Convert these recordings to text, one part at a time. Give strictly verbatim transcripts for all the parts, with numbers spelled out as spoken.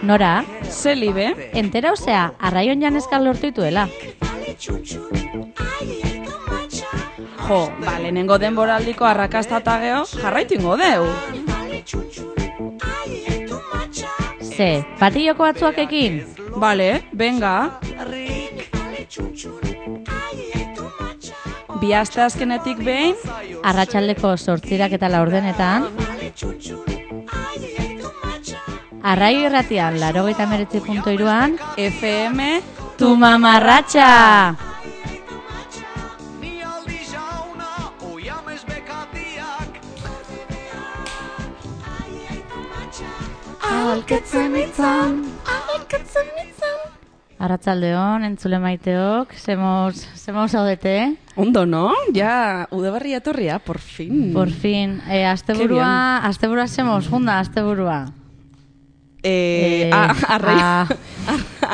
Nora? Zelibe? Entera osea, arraion janezkal lortu ituela. Jo, ba, lehenengo denboraldiko arrakasta eta geho, jarraitu ingo deu. Ze, patilloko batzuak ekin? Bale, venga. Bi aste azkenetik behin, Arratsaldeko zortzirak eta laurdenetan. Arraio irratian, laurogeita hemeretzi puntu hiruan. F M Tu mamarratxa! Ahalketzen itzan, ahalketzen itzan. Arratsaldeon, entzule maiteok, zemoz, zemoz haudete? Ondo, no? Ja, udaberri etorria, por fin. Por fin. Eh, asteburua, asteburua zemoz, junda, asteburua. Eh, Eh, a, arraio, ah.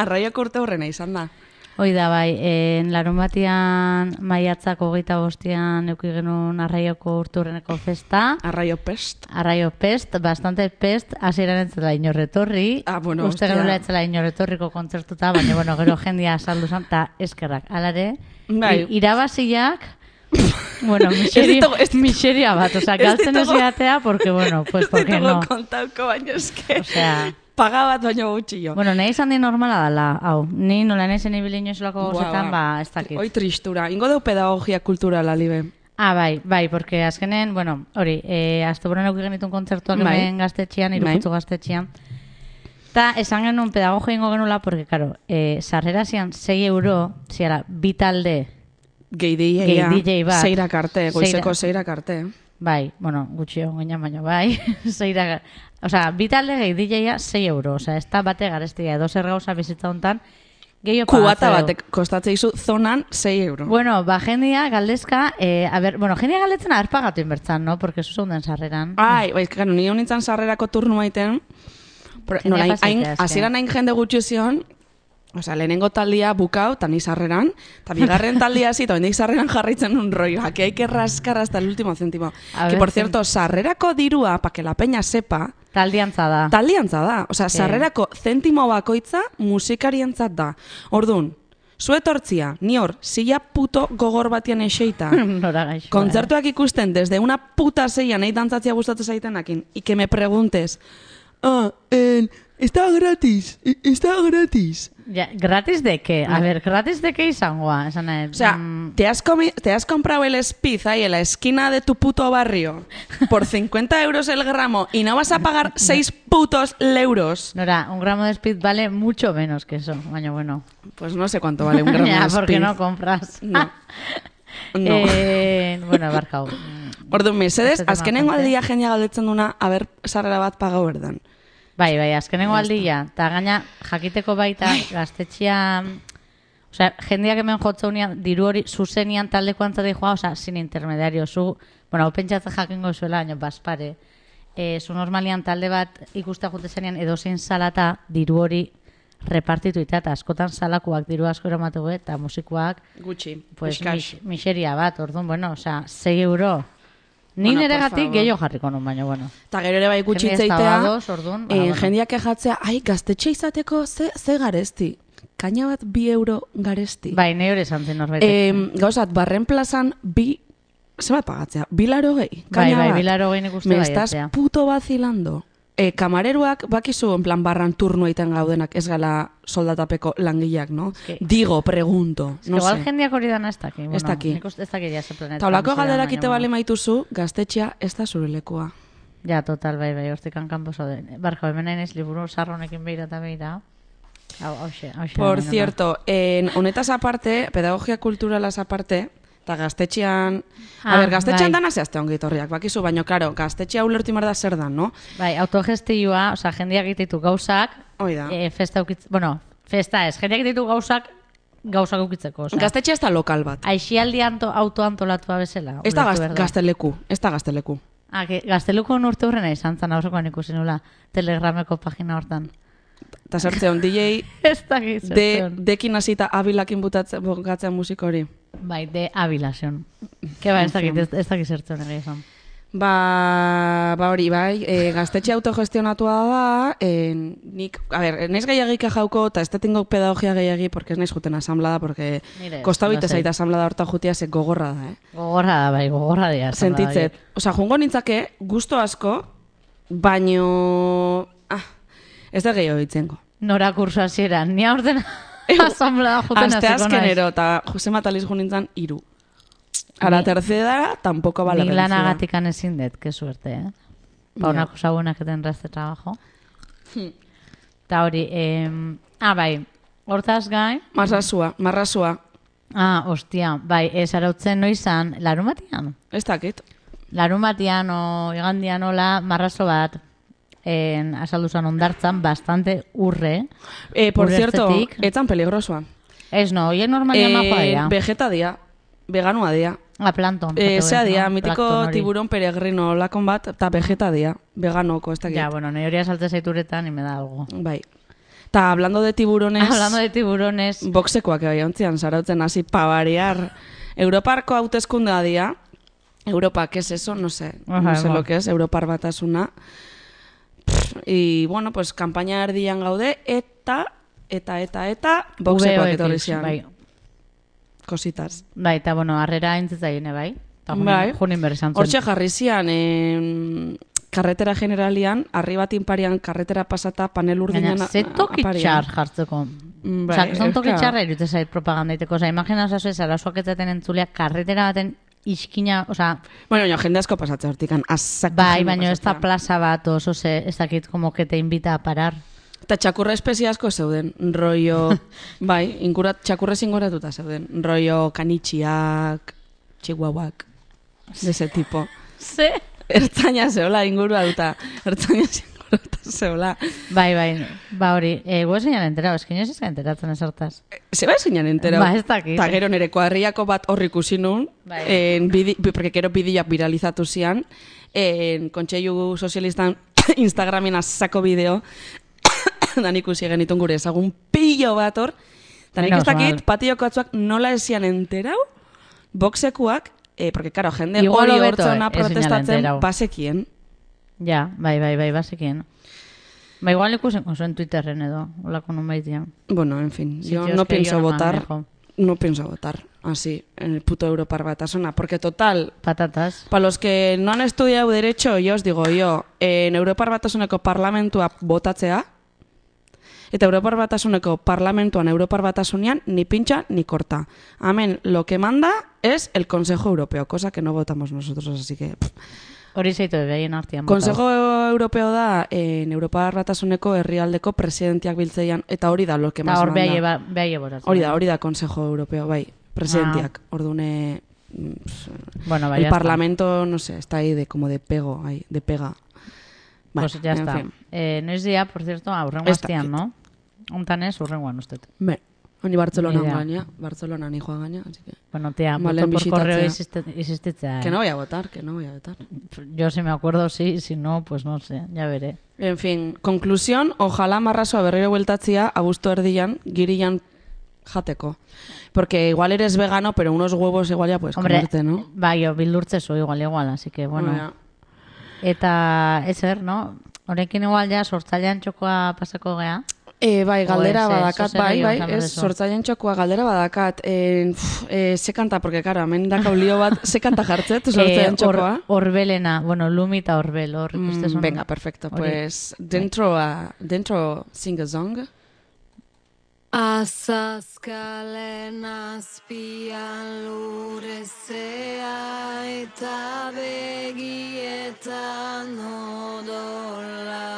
arraioko urte horrena izan da. Hoi da, bai, en larun batian maiatzak hogeita bostian euki genuen arraioko urturreneko festa. Arraio pest. Arraio pest, bastante pest, hasieran entzela inorretorri. Ah, bueno, Uste hostia. genuela etzela inorretorriko kontzertuta, baina, bueno, gero jendia saldu zan, eta eskerrak. Alare, Bai. i- irabaziak, bueno, miseria, Ez ditugu- ez ditugu- miseria bat, osea, ez galtzen ez ditugu- jatea, porque, bueno, pues, porque no. kontauko baino eske. Osea, Paga bat baino gutxillo. bueno, nahi izan di normala dala, hau, ni nola nahi zen ibili inoizolako Buah, gozetan, buah. ba, ez dakit. Hoi tristura. Ingo deu pedagogia kulturala, libe. Ah, bai, bai, porque azkenen, bueno, hori, eh, asteburuan eduki genitun kontzertuak Bai. hemen gaztetxean, irukutzu gaztetxean. Ta esan genuen pedagogia ingo genula, porque, karo, eh, sarrera zian sei euro, ziala, bi talde, Gehi D J, Gehi D J bat. Seirak arte, goizeko Seira- seirak arte. bai, bueno, gutxi hon ginen baino, bai, zeira, osea, bi talde gehi D J-a sei euro, osea, ez da bate garestia, edo zer gauza bizitza hontan, gehiago Kubata pagatzeu. batek kostatze izu zonan sei euro. Bueno, ba, jendia galdezka, eh, a ber, bueno, jendia galdetzen haber pagatu inbertzan, no? Porque eso den sarreran. Ai, bai, gano, ni honintzan sarrerako turnu maiten, Jendea nola, pasaitea, hain, eske. hasieran hain jende gutxi zion, osea, lehenengo taldia bukau, eta ni sarreran, eta bigarren taldia hasi, eta bendik sarreran jarraitzen un rollo, que hay que rascar hasta el último céntimo. A Que, ver, por zen- cierto, sarrerako dirua, pa que la peña sepa, Taldiantza da. taldiantza da. Osea, sarrerako zentimo bakoitza musikarientzat da. Ordun, zu etortzia, ni hor, silla puto gogor batian eseita, Nora gaixoa. kontzertuak ikusten desde una puta seia nahi dantzatzia gustatzen zaitenakin, y que me preguntes, ah, en, está gratis, e- está gratis. Ja, ¿gratis de qué? A ver, ¿gratis de qué izangoa? Esan nahi, O sea, mm, te has, comi- te has comprado el Spiz ahí en la esquina de tu puto barrio por cincuenta euros el gramo y no vas a pagar seis putos euros. Nora, un gramo de speed vale mucho menos que eso. Baina, bueno. Pues no sé cuánto vale un gramo Ya, de porque Spiz. no compras. No. No. Eh, bueno, barkau. Orduan, mesedes, Beste tema azkenengo aparte. aldia jendea galdetzen duna, aber, sarrera bat pagau berdan. Bai, bai, azkenengo aldia. Eta gaina, jakiteko baita, gaztetxean... Osea, jendeak hemen jotzeunean, diru hori zuzenian taldeko antzate joa, osea, sin intermediario. Zu, bueno, hau pentsatzen jakingo zuela, baina baspare. E, zu normalian talde bat ikusta jute zenean edozein salata diru hori repartitu ita, eta askotan salakoak diru asko eramatu be, eta musikoak, Gutxi, pues, eskas. mis, miseria bat, orduan, bueno, osea, sei euro. Ni Bueno, nere por gatik favor. gehiago jarriko nun, baina, bueno. Eta gero ere bai gutxi Jende ez da itzeitea, badoz, orduan, ba, eh, bueno. jendeak kejatzea, ai, gaztetxe izateko ze, ze garesti. Kaina bat bi euro garesti. Bai, ne hori esan zen norbait. Eh, gauzat, barren plazan bi, ze bat pagatzea? Bilaro gehi? Bai, Kaina bai, bat. bilaro gehin ikuste Me bai, estás etzea. puto vacilando. E, kamareruak bakizu en plan barran turno egiten gaudenak ez gala soldatapeko langileak, no? que- Digo, pregunto, Es que no igual sé. jendeak hori dana ez daki. Bueno, Ez daki. nik uste ez daki ja ze planeta. Eta holako bizi da, galderak baina, ite bale bueno. maituzu, gaztetxea ez da zure lekua. Ja, total, bai, bai, hortikan kanpo zaude. Barko, hemen nahi naiz liburu sarronekin behira eta behira. Hau, hauxe, hauxe. Por nahi nuna. cierto, en honetaz aparte, pedagogia kulturalaz aparte, eta gaztetxean... Ah, a ber, gaztetxean bai. dana zehazte ongi etorriak, bakizu, baino, karo, gaztetxea ulertu mar da zer dan, no? Bai, autogestioa, osea, jendeak egititu gauzak, Hoi da. e, festa ukitz, bueno, festa ez, jendeak egititu gauzak, gauzak ukitzeko, osea. Gaztetxea ez da lokal bat. Aixialdi anto, autoantolatua bezala. Ez da ulertu gaz, behar da. gazteleku, ez da gazteleku. Ah, que gazteluko urte hurrena izan zan, aurrekoan ikusi nula, telegrameko pagina hortan. Eta zertzeon, D J Ez dakit de, zertzen. dekin hasita abilakin butatzen bukatzen musiko hori. Bai, de Avila zion. Que ba, ez dakit, ez, ez dakit zertzen ere izan. Ba, ba hori, bai, e, gaztetxe autogestionatua da, e, nik, a ber, naiz gehiagik jauko, eta ez tetingo pedagogia gehiagi, porque ez naiz juten asamblada, porque kostabite zaita asamblada horta jutia, ze gogorra da, eh? Gogorra da, bai, gogorra da. Sentitzet. Osa, jungo nintzake, gusto asko, baino, ah, ez da gehiago ditzengo. Nora kursu hasieran, ni aurten asamblada juten hasiko naiz. Aste azkenero, eta Jose Mataliz jo nintzen, iru. A la tercera tampoco vale la pena. Ni lanagatikan ezin dut, que suerte, eh? Pa una cosa buena que tendrá este trabajo. Ta hori, eh, ah, bai, hortaz gai... Marrasua, marrasua. Ah, ostia, bai, ez arautzen noizan, larun batian? Ez dakit. Larun batian o igandian hola, marraso bat, en, asalduzan ondartzan, bastante urre. Eh, por cierto, etzan peligrosoa. Ez no, oie normalian eh, majoa dira. Vegeta dia, veganua dia. A planton. Eh, Zea dia, no? Mitiko tiburón peregrino lakon bat, eta vegeta dia, veganoko, ez dakit. Ja, bueno, nahi hori salte zaituretan, y me da algo. Bai. Ta hablando de tiburones... Hablando de tiburones... Boxekoak bai ontzian, zarautzen hasi pavariar. Europarko hauteskundea dia. Europa, ¿qué es eso? No sé. Ajá, no sé lo que es. Europar batasuna. Y, bueno, pues, kampaina erdian gaude, eta, eta, eta, eta, boxekoak etorri zian. Bai. Kositas. Bai, eta, bueno, harrera entzitzaile, bai. Bai. Junin berrizan zen. Hortxe jarri zian, eh, karretera generalian, arribatin parian, karretera pasata, panel urdinan aparian. Ze tokitxar jartzeko. Bai, Osa, zon tokitxarra irute zait propagandaiteko. Osa, imagina osazu ez, arazoak etzaten entzulea, karretera baten iskina, osa... Bueno, jo, jende asko pasatzea hortikan, azak. Bai, baina ez da plaza bat, oso ze, ez dakit, como que te invita a parar. Eta txakurra espezie asko zeuden, rollo... bai, inkurat, txakurrez inguratuta zeuden, rollo kanitxiak, chihuahuak, de ese tipo. Ze? Ertzaina zeola ingurua duta, ertzaina inguratuta zeola. Bai, bai, ba hori, eh, gu ezinan enterau, eskin ez ezan enteratzen ez hortaz. Se ba ezinan enterau. Ba, ez dakit. Ta gero nire kuadriako bat horri ikusi nun, bai. en bidi, porque gero bideoak viralizatu zian, en kontseilu sozialistan Instagramen azako bideo, dan ikusi genitun gure ezagun pillo bat hor, eta nik ez dakit patioko atzuak nola ezian enterau, boxekuak, eh, porque, claro, jende hori hortzona protestatzen basekien. Ja, bai, bai, bai, basekien. Ba, igual ikusen oso en Twitterren edo, holako non baitian. Bueno, en fin, yo no pienso votar, no pienso votar así, en el puto Europar Batasuna, porque total... Patatas. Para los que no han estudiado Derecho, yo os digo yo, en Europar Batasuneko parlamentua botatzea, eta Europar Batasuneko parlamentuan Europar Batasunean ni pincha ni corta. Amén, lo que manda es el Consejo Europeo, cosa que no votamos nosotros, así que... Hori zeitu behaien artian. Consejo Europeo da en Europar Batasuneko herrialdeko presidentiak biltzeian, eta hori da lo que más manda. Eta hor behaie botatzen. Hori da, hori da Consejo Europeo, bai, presidentiak. Ah. Ordune... Bueno, bai, el Parlamento, no sé, está ahí de como de pego, ahí, de pega. Pues ya está. Fin. Eh, noiz día, por cierto, aurrengo astian, no? Ontan ez, urrengoan usted. Be, honi Barcelona gaina, Barcelona ni joan gaina, así que... Bueno, tía, voto por correo existitzea. Que no voy a votar, que no voy a votar. Yo si me acuerdo sí, si no, pues no sé, ya veré. En fin, conclusión, ojalá marrasoa berriro bueltatzia, abuztu erdian, girian jateko. Porque igual eres vegano, pero unos huevos igual ya puedes Hombre, comerte, ¿no? Bai, yo bildurtzezu igual, igual, así que bueno. bueno Eta, ezer, no? Horekin igual ya sortzailean txokoa pasako gea. E, bai, galdera badakat, bai, bai, ez, sortzailean txokoa galdera badakat. E, e, ze kanta, porque, karo, hemen daka ulio bat, ze kanta jartzet, sortzailean txokoa? Orbelena, bueno, Lumi eta Orbel, hor. Mm, venga, perfecto, pues, dentro, a, dentro, sing a song. Azazkalen azpian lurezea eta begietan odola.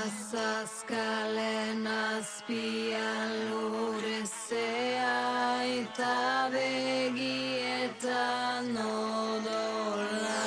Azazkalen azpian lurezea eta begietan odola.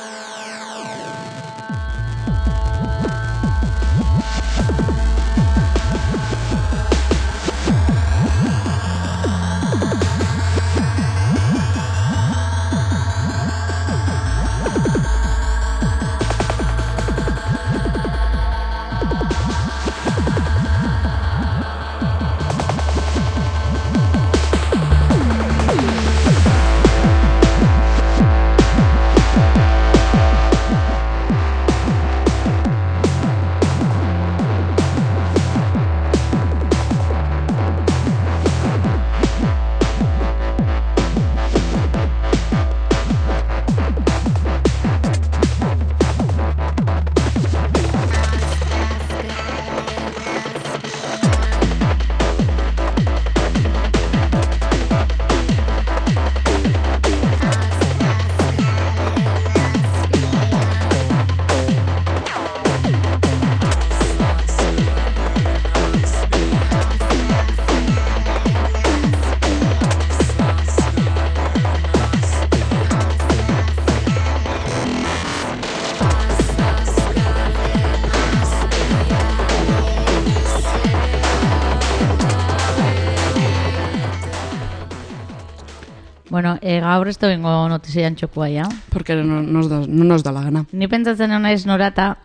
Bueno, e, gaur ez doingo notizian txokua, ja? Porque no nos da, no nos da la gana. Ni pentsatzen hona ez norata,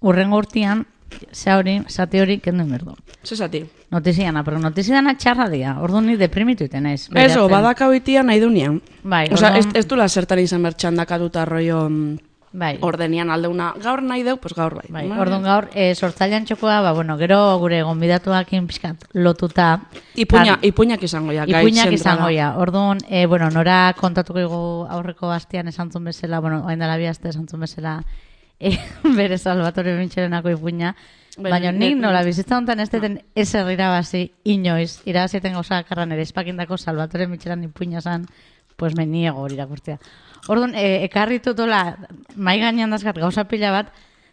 urrengo urtian, ze hori, zati hori, kendu inberdu. Ze zati? Notiziana, pero notiziana txarra dia, orduan ni deprimitu iten ez. Eso, badaka hoitia nahi dunean. Bai, Osa, ez, orduan- ez dula zertan izan bertxandakatuta rollo mm, Bai, ordenian aldeuna. Gaur nahi deu, pues gaur bai. bai. Orduan gaur, e, sortzailean txokoa, ba, bueno, gero gure gonbidatuakin pixkat lotuta. Ipuña, Tan- ipuñak izango ja. gai Ipuinak zentrala. izango ja. Orduan, e, bueno, nora kontatuko igu aurreko astean esantzun bezala, bueno, oain dela bi aste esantzun bezala, e, bere Salvatore Mintxerenako ipuina. Bai, Baina ne- nik ne- nola bizitza honetan ez deten ez irabazi inoiz, irabaziten gauza karran ere espakindako Salvatore Mintxeran ipuina zan, pues me niego hori irakurtzea. Orduan, e, ekarri tutola, mai gainean dazkat gauza pila bat,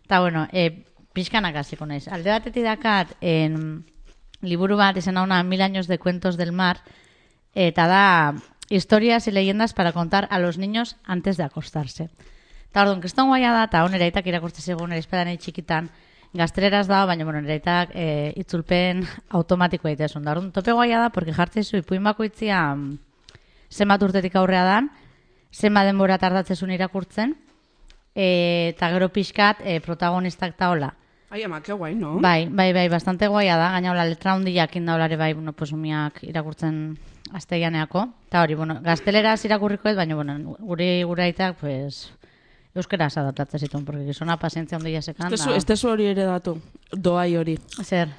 eta bueno, e, pixkanak hasiko naiz. Alde batetik dakat, en, liburu bat izan hauna Mil años de cuentos del mar, eta da historias y leyendas para contar a los niños antes de acostarse. Eta orduan, keston guaia da, eta hon eraitak irakurtze zegoen ere espadanei txikitan, gazteleraz da, baina bueno, eraitak e, itzulpen automatiko egitesun. Da orduan, tope guaia da, porque jartzezu ipuin bakoitzia mm, zenbat urtetik aurrea dan, zenbat denbora tardatzezun irakurtzen, e, eta gero pixkat e, protagonistak ta hola. Ai, ama, que guai, no? Bai, bai, bai, bastante guaia da, gaina hola letra hundiak indaulare bai, bueno, pues umiak irakurtzen asteianeako. Eta hori, bueno, gazteleraz irakurriko ez, baina, bueno, gure guraitak, pues, euskeraz adaptatzen zituen, porque gizona pazientzia hundia sekan. Estezu, estezu hori ere datu. Doai hori. Zer,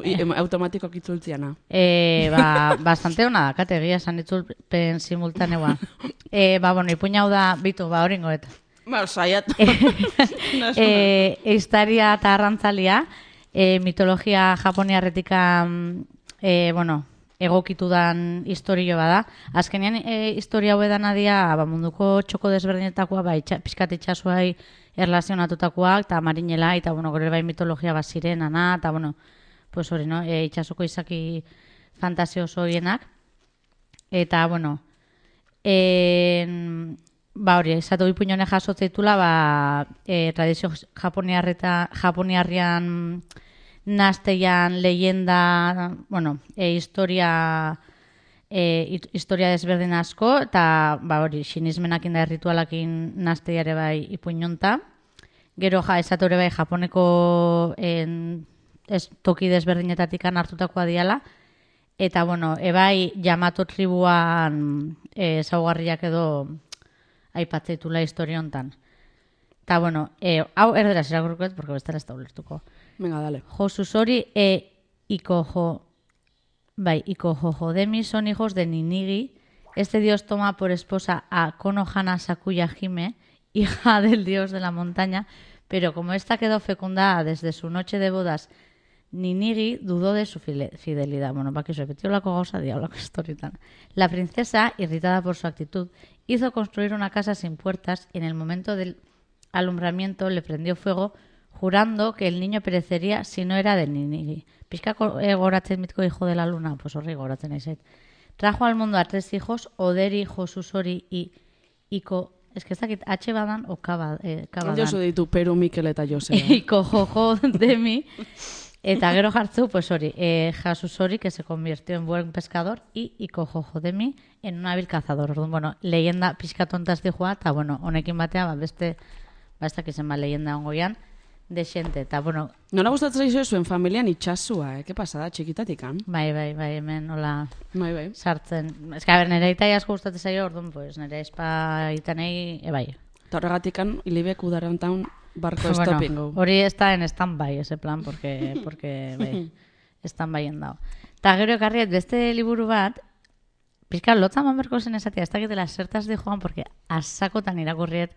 I- em- Automatikoak itzultziana. E, ba, bastante hona da, kate, egia esan itzulpen simultaneoa. E, ba, bueno, ipuina hau da, bitu, ba, hori ingoet. Ba, saiat. e, Eistaria eta arrantzalia, e, mitologia japoniarretika, e, bueno, egokitu dan historio bada. Azkenean, e, historia hau edan adia, ba, munduko txoko desberdinetakoa, ba, itxa, pizkat itxasuai erlazionatutakoak, eta marinela, eta, bueno, gure bai mitologia bat sirenana, eta, bueno, pues hori, no? E, itxasoko izaki fantasioso horienak. Eta, bueno, en, ba hori, esatu ipuñone jasotzeitula, ba, e, tradizio japoniarreta, japoniarrian nasteian leyenda, bueno, e, historia e, historia desberdin asko, eta ba hori, sinismenakin da ritualakin nasteiare bai ipuñonta. Gero ja, esatu ere bai japoneko en, ez, toki desberdinetatik hartutakoa diala, eta bueno, ebai Yamato tribuan e, zaugarriak edo aipatzeitula historia hontan. Eta bueno, e, hau erderaz irakurkoet, porque bestela ez da ulertuko. Venga, dale. Josusori e Ikojo, bai, Ikojojo Demi son hijos de Ninigi. Este dios toma por esposa a Konohana Sakuya Hime, hija del dios de la montaña, pero como esta quedó fecundada desde su noche de bodas, Ninigi dudó de su file- fidelidad. Bueno, para que se repitió la cosa, diablo, que historitan. La princesa, irritada por su actitud, hizo construir una casa sin puertas y en el momento del alumbramiento le prendió fuego, jurando que el niño perecería si no era de Ninigi. Pizka eh, goratzen mitko hijo de la luna, pues horri goratzen aizait. Trajo al mundo a tres hijos, Oderi, Josusori y Iko... Es que ez dakit H badan o K bad- eh, K badan. Josu ditu Peru, Mikel eta Joseba. Iko jojo Demi. Eta gero jartzu, pues hori, eh, Jasusori, que se convirtió en buen pescador, y Iko jojo Demi en un hábil cazador. Orduan, bueno, leyenda pixka tontaz dijoa, eta bueno, honekin batea, ba, beste, ba, ez dakizen ba, leyenda ongoian, de xente, eta bueno, Nola gustatzen zaizu zuen familian itxasua, eh? Ke pasada, txikitatikan? bai, bai, bai, hemen, hola, Bai, bai. sartzen. Ez que, a ber, nire itai asko gustatzen zaio, orduan, pues, nire espa itanei, e, bai. Eta horregatikan, hilibek udarantaun barko stopping go. hori está en stand-by, ese plan, porque, porque bai, stand-by endao. Ta gero ekarriet, beste liburu bat, pizka lotza manberko zen esatia, ez dakitela zertaz di joan, porque asakotan irakurriet,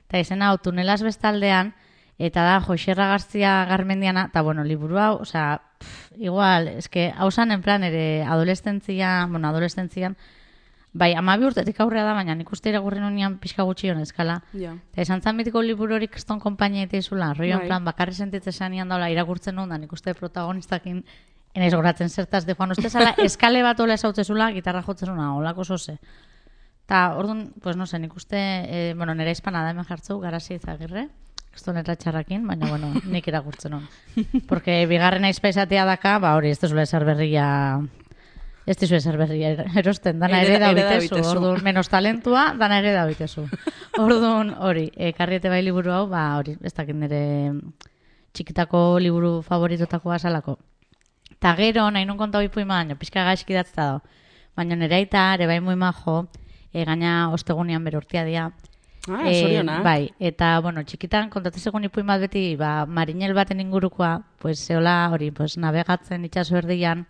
eta izena hau tunelaz bestaldean, eta da Joxerra Garzia Garmendiana, eta bueno, liburu hau, osea, pff, igual, eske, hau zan en plan ere adolescentzia, bueno, adolescentzian, bai, amabi urtetik aurrea da, baina nik uste irakurri nonian pixka gutxi honezkala. Ja. Eta esan zan mitiko liburu hori keston konpainia eta izula, rollo Bai. en plan, bakarri sentitzen zanian daula irakurtzen nuen, da nik uste protagonistakin enaiz goratzen zertaz de joan. Uste zala, eskale bat ola esautzezula, gitarra jotzen una, olako zoze. Ta, orduan, pues no sé, nik uste, eh, bueno, nera hispana da hemen jartzeu, Garazi Izagirre, esto nera txarrakin, baina, bueno, nik irakurtzen hon. Porque bigarren aizpa izatea daka, ba hori, ez da zula esar berria Ez dizu ezer berria er- erosten, dana Ere- ere da ere da bitezu, bitezu. orduan, menos talentua, dana ere da bitezu. Orduan, hori, e, karriete bai liburu hau, ba, hori, ez dakit nire txikitako liburu favoritotakoa salako. Ta gero, nahi nun konta hoi puima, baina pixka gaizki datzta da. Baina nire aita, ere bai muy majo, e, gaina ostegunean bere urtia dia. Ah, Eh, zorionak. bai, eta, bueno, txikitan kontatzen ipuin bat beti, ba, marinel baten ingurukoa, pues, zeola, hori, pues, navegatzen itxaso erdian,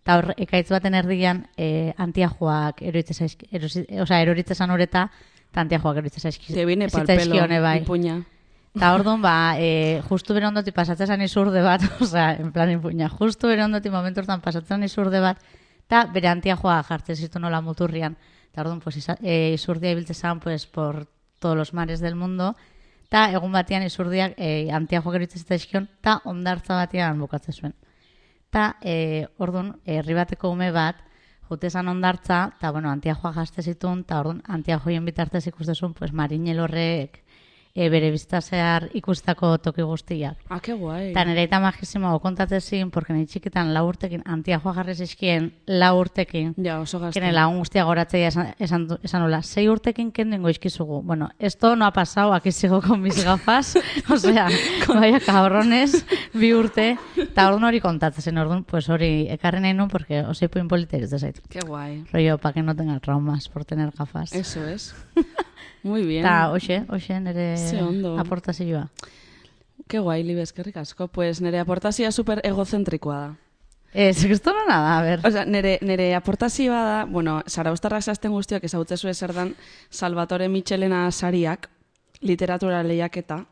eta hor, ekaitz baten erdian, eh, antiajoak eroitze zaizki, erosi, osea, eroritzezan horeta, eta antiajoak eroitze zaizki. Te viene pal pelo, zitzaizkione, bai. ipuña. Eta orduan, ba, e, justu bere ondoti pasatzen zan izurde bat, osea, en plan ipuña, justu bere ondoti momentu hortan pasatzen zan izurde bat, eta bere antiajoa jartzen zitu nola muturrian. Eta orduan, pues, isa, e, izurdia ibiltze zan, pues, por todos los mares del mundo, eta egun batean izurdiak e, antiajoak eroitzen zitzaizkion, eta ondartza batean bukatzen zuen. Eta e, orduan, herri bateko ume bat, jute zan ondartza, eta bueno, antiajoa jazte zituen, eta orduan, antiajoien bitartez ikustezun, pues, marinel horrek e, bere bizta zehar ikustako toki guztiak. Ah, que guai. Eta nire eta magisimo kontatzezin, porque nire txikitan lau urtekin, antiajoa jarri zizkien lau urtekin, Ja, oso gazte. kene lagun guztia goratzea esan, esan, du- esan nola, sei urtekin kendengo izkizugu. Bueno, esto no ha pasado, aquí sigo con mis gafas, o sea, vaya cabrones, bi urte, eta orduan hori kontatzen, orduan, pues hori ekarri nahi nun, porque oso ipuin polita iruz zait. Qué guai. Rollo, pa que no tenga traumas por tener gafas. Eso es. Muy bien. Eta, hoxe, hoxe nire Ze ondo. aportazioa. Qué guai, Libe, eskerrik asko. Pues nire aportazioa super egozentrikoa da. Ez, esto no nada, a ver. Osea, nire, nire aportazioa da, bueno, Zarauztarrak zazten guztiok ezautzezu ezer dan Salvatore Michelena sariak, literatura lehiaketa.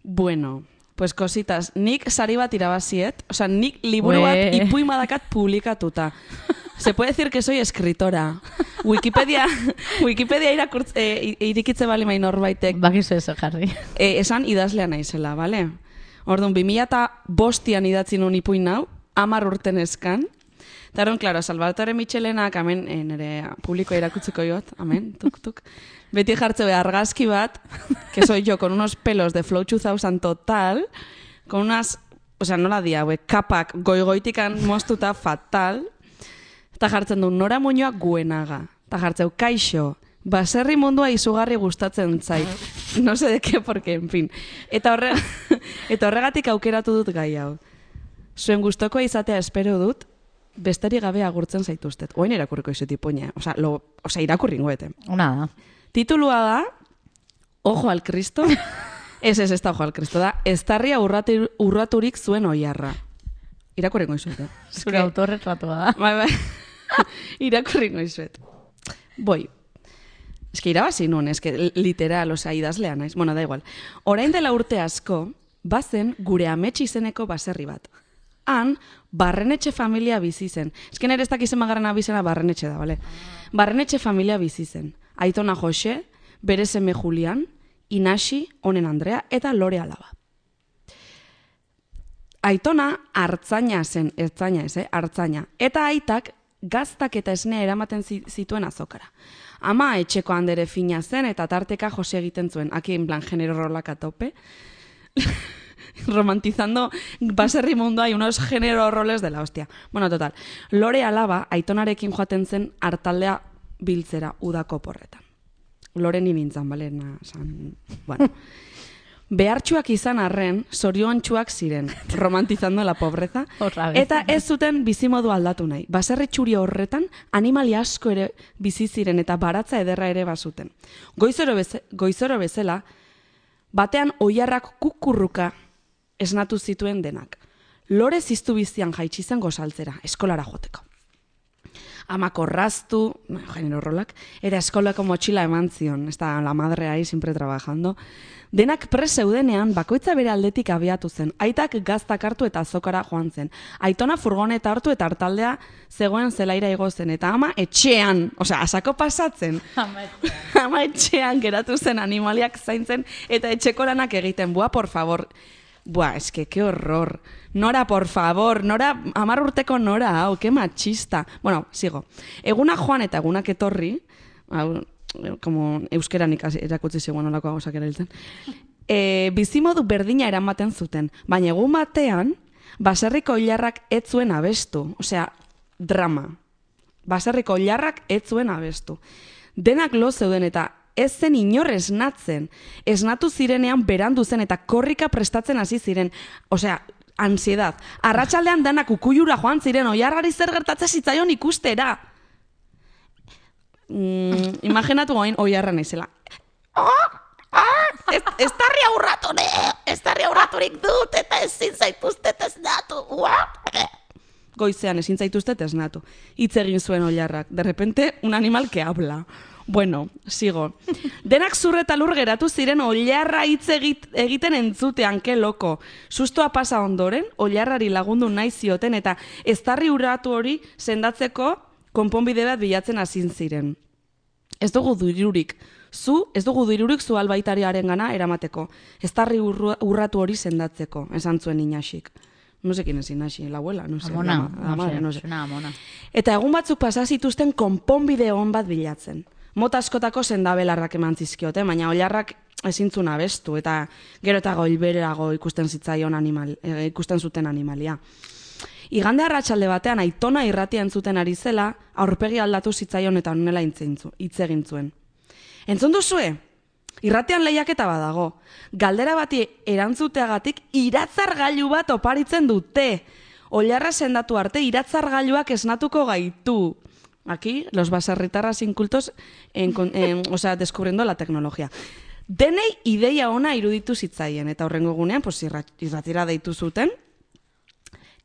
Bueno, pues kositas, nik sari bat irabaziet, osea, nik liburu bat Ue. ipuin badakat publikatuta. Se puede decir que soy escritora. Wikipedia, Wikipedia irakurtz, e, irikitze bali mai norbaitek, Bakizu eso jarri. e, esan idazlea naizela, bale? Orduan, bi mila eta bostian idatzi nun ipuin hau, amar urten eskan. Eta orduan, klaro, Salvatore Michelenak, amen, e, nire publikoa irakutzeko jot, amen, tuk, tuk. Beti jartze be argazki bat, que soy yo, con unos pelos de Flow dos mil total, con unas, o sea, nola dia, we, kapak goigoitikan moztuta fatal, eta jartzen du Nora Muñoa Guenaga. Eta jartzeu, kaixo, baserri mundua izugarri gustatzen zait. No sé de qué, porque, en fin. Eta, horre, eta horregatik aukeratu dut gai hau. Zuen gustokoa izatea espero dut, besterik gabe agurtzen zaituztet. Oain irakurriko izut ipuña. Osa, lo, osa irakurri ingoete. Nada. Titulua da, Ojo al Cristo. Ez, ez, ez da Ojo al Cristo da. Eztarria urratu, urraturik zuen oiarra. Irakurri izut, eh? Zure autorretratua da. Bai, bai. Irakurri izuet. Boi. Ez que irabazi nun, ez que literal, osea, idazlea naiz. Bueno, da igual. Orain dela urte asko, bazen gure amets izeneko baserri bat. Han, Barrenetxe familia bizi zen. Ez que nire ez dakizen magarren abizena Barrenetxe da, bale? Barrenetxe familia bizi zen. Aitona Jose, bere seme Julian, Inasi, Onen Andrea, eta Lore Alaba. Aitona hartzaina zen, ertzaina ez, eh? Hartzaina. Eta aitak gaztak eta esnea eramaten zi- zituen azokara. Ama etxeko handere fina zen eta tarteka Jose egiten zuen. Aquí en plan genero rolak a tope. Romantizando baserri mundu hay unos género roles de la hostia. Bueno, total. Lore Alaba aitonarekin joaten zen hartaldea biltzera udako porretan. Lore ni nintzen, bale? Na, san... Bueno. Behartxuak izan arren, zoriontsuak ziren, romantizando la pobreza, Otra vez. eta ez zuten bizimodu aldatu nahi. Baserri txuri horretan, animali asko ere bizi ziren eta baratza ederra ere bazuten. Goizoro, beze, goizoro bezala, batean oiarrak kukurruka esnatu zituen denak. Lore ziztu bizian jaitsi zen gozaltzera, eskolara joteko. Amak orraztu, genero rolak, eta eskolako motxila eman zion, ez da la madre ahí siempre trabajando. Denak pres zeudenean bakoitza bere aldetik abiatu zen. Aitak gaztak hartu eta azokara joan zen. Aitona furgoneta hartu eta hartaldea zegoen zelaira igo zen. Eta ama etxean, osea, asako pasatzen. Ama etxean geratu zen animaliak zaintzen eta etxeko lanak egiten. Bua, por favor. Buah, eske, que horror. Nora, por favor, Nora, amar urteko Nora, hau, que machista. Bueno, sigo. Eguna joan eta egunak etorri, hau, como euskeran ikasi erakutsi zegoen olako gauzak erabiltzen, e, bizimodu berdina eramaten zuten, baina egun batean, baserriko hilarrak ez zuen abestu, osea, drama. Baserriko oilarrak ez zuen abestu. Denak lo zeuden eta ez zen inor esnatzen. Esnatu zirenean berandu zen eta korrika prestatzen hasi ziren. Osea, ansiedad. Arratsaldean danak ukuyura joan ziren oilarrari zer gertatzen zitzaion ikustera. Mm, imaginatu goin oilarra naizela. Ah! Ah! Ez, ez tarri aurratu, ne! Ez tarri aurraturik dut eta ezin zaituztet esnatu. Goizean ezin zaituztet esnatu. Hitz egin zuen oilarrak. De repente, un animal que habla. Bueno, sigo. Denak zur eta lur geratu ziren oilarra hitz egit, egiten entzutean, ke loko. Sustoa pasa ondoren, oilarrari lagundu nahi zioten eta eztarri urratu hori sendatzeko konponbide bat bilatzen hasi ziren. Ez dugu dirurik. Zu, ez dugu dirurik zu albaitariaren gana eramateko. Eztarri urratu hori sendatzeko, esan zuen Inaxik. No sé quién es Inaxi, la abuela, no sé. Amona, la, la madre, no sé. Amona. Eta egun batzuk pasa zituzten konponbide on bat bilatzen. Mota askotako sendabelarrak eman zizkiote, baina oilarrak ezintzun abestu eta gero eta goilberago ikusten zitzaion animal, e, ikusten zuten animalia. Igande arratsalde batean Aitona irratia entzuten ari zela, aurpegi aldatu zitzaion eta honela hitz egin zuen. Entzun duzue? Irratean lehiaketa badago. Galdera bati erantzuteagatik iratzargailu bat oparitzen dute. Oilarra sendatu arte iratzargailuak esnatuko gaitu. Aquí, los baserritarras incultos, en, en, o sea, descubriendo la tecnología. Denei ideia ona iruditu zitzaien, eta horrengo egunean, pues, irratira deitu zuten.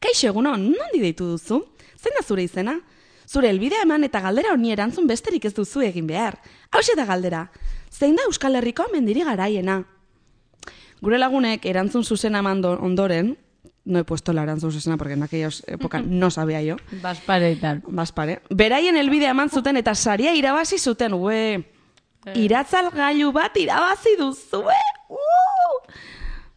Kaixo eguno, nondi deitu duzu? Zein da zure izena? Zure elbidea eman eta galdera honi erantzun besterik ez duzu egin behar. Hauxe da galdera. Zein da Euskal Herriko mendiri garaiena? Gure lagunek erantzun zuzena eman ondoren, no he puesto la erantzun zuzena porque en aquella época no sabía yo. Baspare y tal. Baspare. Beraien elbidea eman zuten eta saria irabazi zuten, ue. Iratzalgailu bat irabazi duzue. Uh!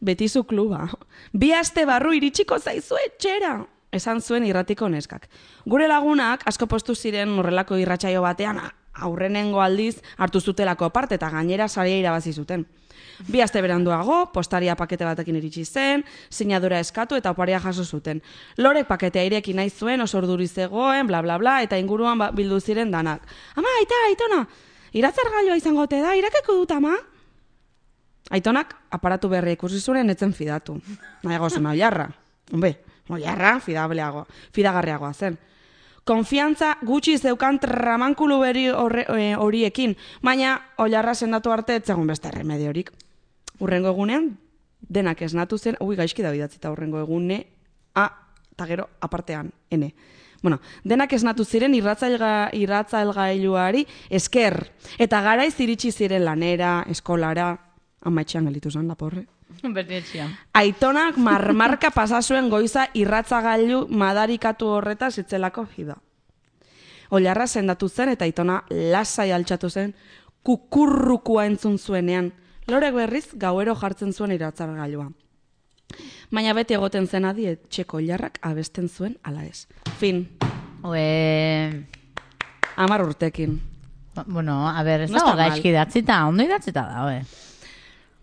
Betizu kluba. Bi aste barru iritsiko zaizu etxera. Esan zuen irratiko neskak. Gure lagunak asko postu ziren horrelako irratsaio batean aurrenengo aldiz hartu zutelako parte eta gainera saria irabazi zuten. Bi aste beranduago, postaria pakete batekin iritsi zen, sinadura eskatu eta oparia jaso zuten. Lorek paketea ireki nahi zuen, oso urduri zegoen, bla bla bla, eta inguruan ba, bildu ziren danak. Ama, aita, aitona, iratzargailua izango te da, irakeko dut ama? Aitonak aparatu berri ikusi zuen etzen fidatu. Nahiago zen oilarra. Hombe, oilarra fidableago, fidagarriagoa zen. Konfiantza gutxi zeukan tramankulu beri horiekin, baina oilarra sendatu arte etzegun beste remediorik. Urrengo egunean, denak esnatu zen, ui gaizki da bidatzita urrengo egune, a, eta gero apartean, ene. Bueno, denak esnatu ziren irratzailga, irratzailgailuari esker, eta garaiz iritsi ziren lanera, eskolara, amaitxean gelitu zen, laporre. Bertietxian. Aitonak marmarka pasazuen goiza irratzagailu madarikatu horretaz itzelako fida. Oilarra sendatu zen eta Aitona lasai altxatu zen kukurrukua entzun zuenean. Lorek berriz gauero jartzen zuen iratzargailua. Baina beti egoten zen adi etxeko oilarrak abesten zuen ala ez. Fin. Ue... Amar urtekin. Bueno, a ver, ez No dago está mal. gaizki idatzita, ondo idatzita da, oe.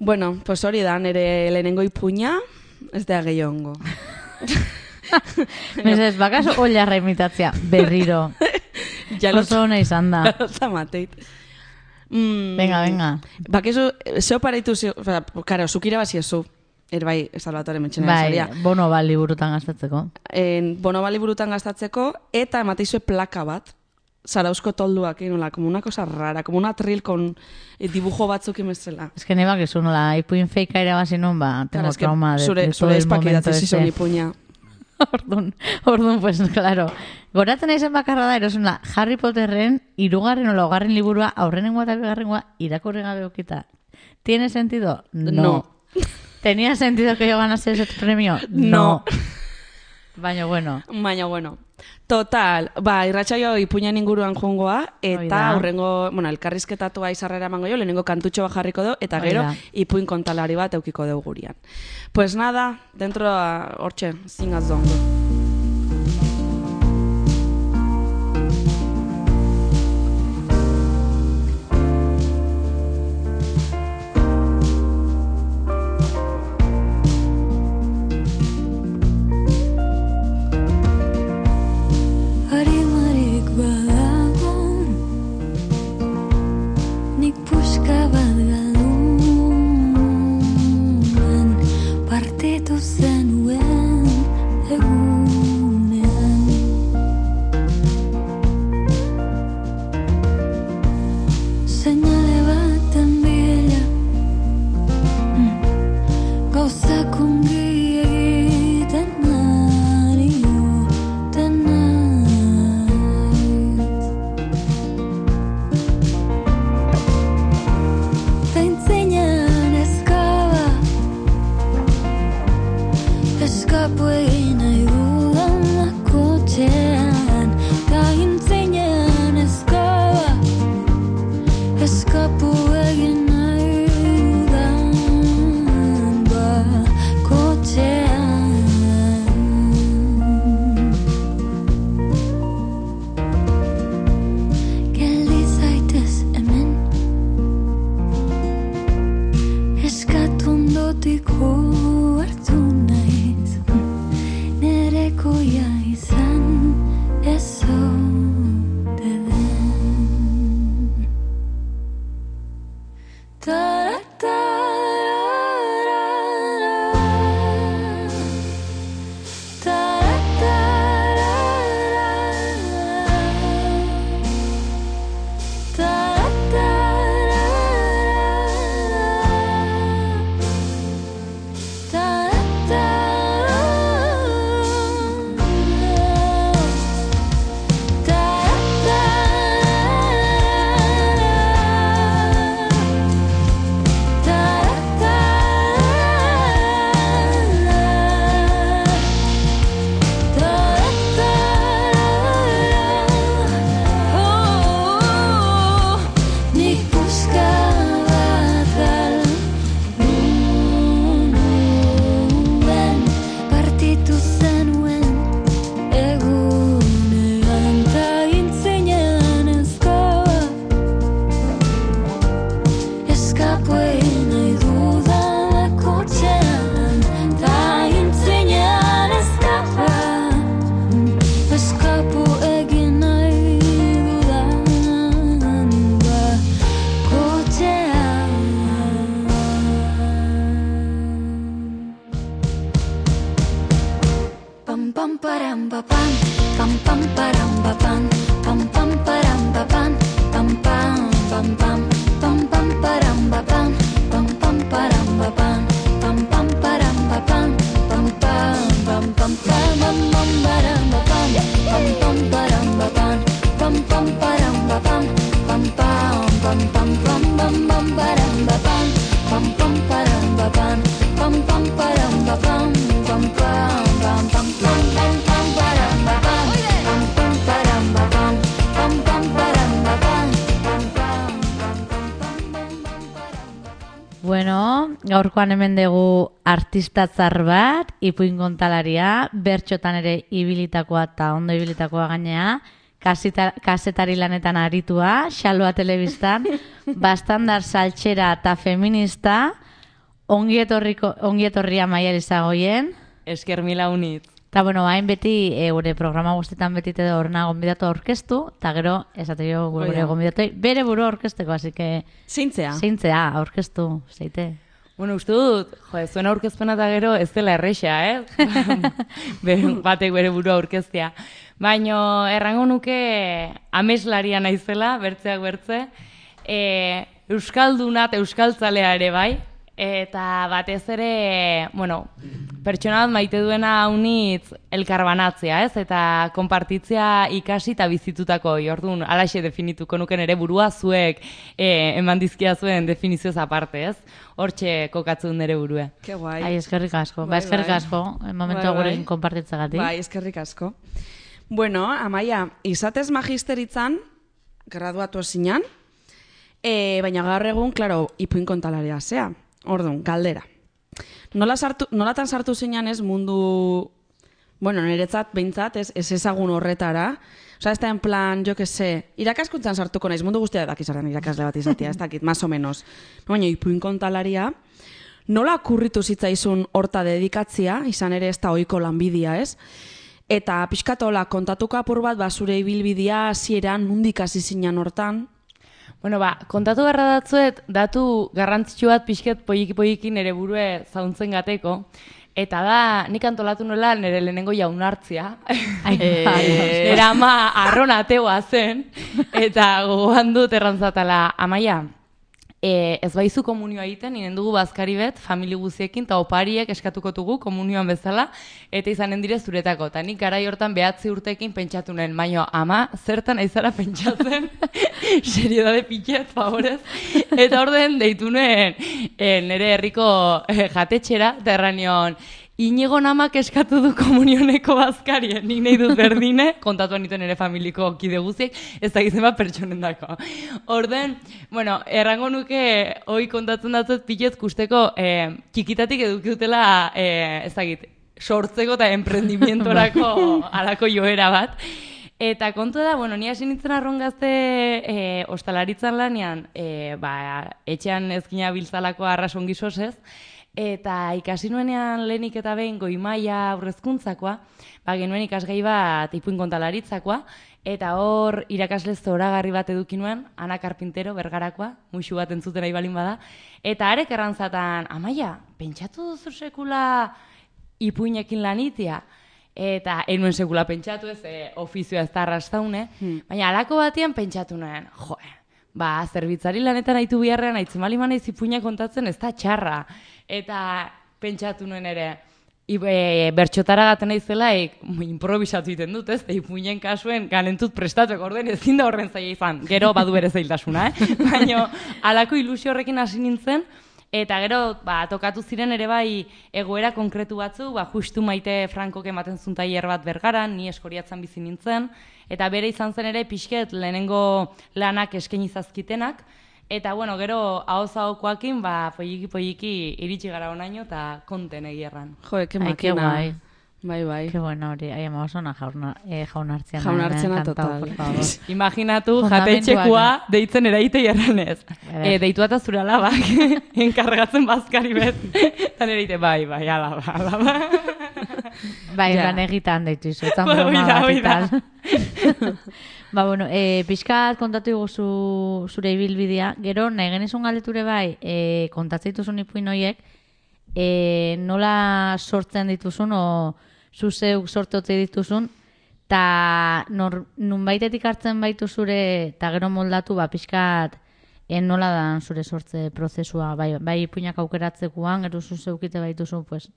Bueno, pues hori da, nire lehenengo ipuña, ez da gehiongo. Mesez, bakaso oilarra imitatzea, berriro. Ja lo Oso ona izan da. zamateit. Mm, Venga, venga. Bakizu, zeo pareitu, zeo, karo, zukira bazi zu. Erbai, Salvatore Metxenera Bai, saria. bono bali burutan gastatzeko. En, bono bali burutan gastatzeko, eta emateizue plaka bat, Zarauzko tolduak, nola, como una cosa rara, como una atril con eh, dibujo batzuk imezela. Ez que nebak ezu nola, ipuin feika ere bazi nun, ba, tengo Claro, es que trauma de, zure, de todo zure el espak momento idatzi zizun ese. ipuña. Orduan, orduan, pues, claro. Goratzen aizen bakarra da, erosuna, Harry Potterren, irugarren o laugarren liburua, aurrenengoa eta bigarrengoa, irakurri gabe okita. ¿Tiene sentido? No. No. ¿Tenía sentido que yo ganase ese premio? No. Baina, bueno. Baina, bueno. Total, ba, irratsaio ipuñan inguruan joangoa, eta Oida. hurrengo, bueno, elkarrizketatua izarrera emango jo, lehenengo kantutxo bat jarriko dugu, eta gero Oida. ipuin kontalari bat eukiko dugu gurian. Pues nada, dentro, hortxe, zingaz dongo. Arimarik bada mutiko hartu naiz, nerekoia izan ez ote den. Bueno, gaurkoan hemen dugu artistatzar bat, ipuin kontalaria, bertxotan ere ibilitakoa eta ondo ibilitakoa gainea, kaseta, kasetari lanetan aritua, xaloa telebistan, bastandar saltxera eta feminista, ongietorriko, ongietorria Maider Izagoien. Esker mila unit. Eta, bueno, hain beti, e, gure programa guztetan beti te horna gonbidatu aurkeztu, eta gero, esate jo, gure Oida. gonbidatu bere buru aurkezteko, así que... Zeintzea? Zeintzea, aurkeztu, zeite. Bueno, uste dut, jo, zuen aurkezpena eta gero ez dela erresa, eh? Be- Batek bere burua aurkeztea. Baino, errango nuke ameslaria naizela, bertzeak bertze, e, euskalduna eta euskaltzalea ere bai, eta batez ere, bueno, pertsona bat maite duena haunitz elkarbanatzea, ez? Eta konpartitzea ikasi eta bizitutako, orduan, alaxe definituko nuken ere burua zuek e, eman dizkia zuen definizioz aparte, ez? Hortxe kokatzen nire burua. Ke guai. Ai, eskerrik asko. Bai, Ba, eskerrik bai. asko, momentu Bai, bai. gurekin konpartitzagatik. Bai, eskerrik asko. Bueno, Amaia, izatez magisteritzan, graduatu zinan, e, baina gaur egun, klaro, ipuin kontalaria zea. Orduan, galdera. Nola sartu, nolatan sartu zinan ez mundu, bueno, niretzat, behintzat, ez, ez ezagun horretara. Osa, ez da en plan, jo que se, irakaskuntzan sartuko naiz, mundu guztia dakizaren irakasle bat izatea, ez dakit, más o menos. Baina, ipuin kontalaria, nola okurritu zitzaizun horta dedikatzia, izan ere ez da ohiko lanbidia, ez? Eta pixkatola kontatuko apur bat, ba, zure ibilbidea, hasieran nundik hasi zinan hortan. Bueno, ba, kontatu garra datzuet, datu garrantzitsu bat pixket poiki-poiki nere burue zauntzen gateko, eta da, nik antolatu nola nire lehenengo jaunartzia. Ai, Eh, bai. nire ama arron ateoa zen, eta gogoan dut errantzatala, Amaia, e, ez baizu komunioa egiten, inen dugu bazkari bet, famili guziekin, eta opariek eskatuko dugu komunioan bezala, eta izanen dire zuretako. Eta nik garai hortan behatzi urtekin pentsatu nuen, baino, ama, zertan aizara pentsatzen, seriedade pitxet, favorez. Eta orden deitu nuen e, nire herriko e, jatetxera, eta erranion, Inigo namak eskatu du komunioneko bazkarien, nik nahi dut berdine, kontatuan nituen ere familiko kide guztiek, ez da gizema pertsonen dako. Orden, bueno, errango nuke hoi kontatzen datzet pilet kusteko eh, txikitatik edukiutela, eh, ez dakit, sortzeko eta emprendimientorako alako joera bat. Eta kontu da, bueno, ni hasi nintzen arron gazte e, ostalaritzan lanean, e, ba, etxean ezkina biltzalako arrasongi sosez, Eta ikasi nuenean lehenik eta behin goi maila aurrezkuntzakoa, ba, genuen ikasgai bat ipuin kontalaritzakoa, eta hor irakasle zoragarri bat eduki nuen, Ana Carpintero, Bergarakoa, muixu bat entzuten nahi balin bada, eta arek errantzatan, Amaia, pentsatu duzu sekula ipuinekin lanitia? Eta enuen sekula pentsatu ez, e, ofizioa ez da arrastaune, hmm. baina alako batean pentsatu nuen, joe, ba, zerbitzari lanetan haitu biharrean, haitzen bali manaiz ipuinak kontatzen ez da txarra. Eta pentsatu nuen ere, e, bertxotara gaten naizela, e, improvisatu egiten dut, ez? Ipuinen kasuen ganentut prestatuek orden ezin da horren zaila izan. Gero badu bere zailtasuna, eh? Baina halako ilusio horrekin hasi nintzen, eta gero ba, tokatu ziren ere bai egoera konkretu batzu, ba, justu Maite Frankok ematen zuen tailer bat Bergaran, ni Eskoriatzan bizi nintzen, eta bere izan zen ere pixket lehenengo lanak eskaini zazkitenak, eta bueno, gero ahoz-ahokoakin ba, polliki-polliki iritsi gara onaino eta konten egierran. Jo, ke Ai, que makina. guai. Bai, bai. Ke bueno hori, ai ama oso na jauna, eh, jaunartziana. Jaunartziana eh, total. por favor. Imaginatu Fundamentuak. jatetxekua deitzen eraite jarranez. Eder. E, deitu eta zure alabak, enkargatzen bazkari bet. Eta nire ite, bai, bai, alaba, alaba. Bai, Ja. lan egitan deitu izu, etzan Ba, broma oida, bat oida. ital. Ba, bueno, e, pixkat kontatu iguzu zure ibilbidea, gero nahi genizun galdeture bai, e, kontatzen dituzun ipuin horiek, e, nola sortzen dituzun, o zu zeuk sortotze dituzun, eta nunbaitetik hartzen baitu zure, eta gero moldatu, ba, pixkat, e, nola da zure sortze prozesua, bai, bai ipuinak aukeratzekoan, gero zu zeukite baituzu, pues,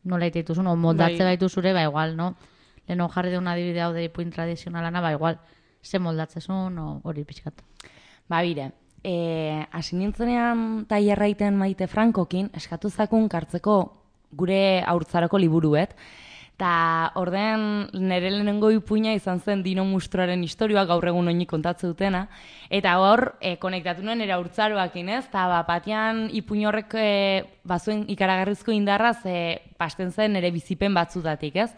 nola ite dituzun, o moldatze Bai. baitu zure, ba, igual, no? Leheno jarri deun adibide hau de ipuin tradizionalana, ba, igual, ze moldatzezun, o hori pixkat. Ba, bire, e, hasi nintzenean tailerra egiten Maite Frankokin, eskatu zakun kartzeko gure haurtzaroko liburuet, eta orden nire lehenengo ipuina izan zen Dino Mustroaren historioa, gaur egun oinik kontatze dutena, eta hor e, konektatu nuen nire haurtzaroakin, ez? Eta ba, batean ipuin horrek e, bazuen ikaragarrizko indarraz e, pasten zen nire bizipen batzutatik, ez?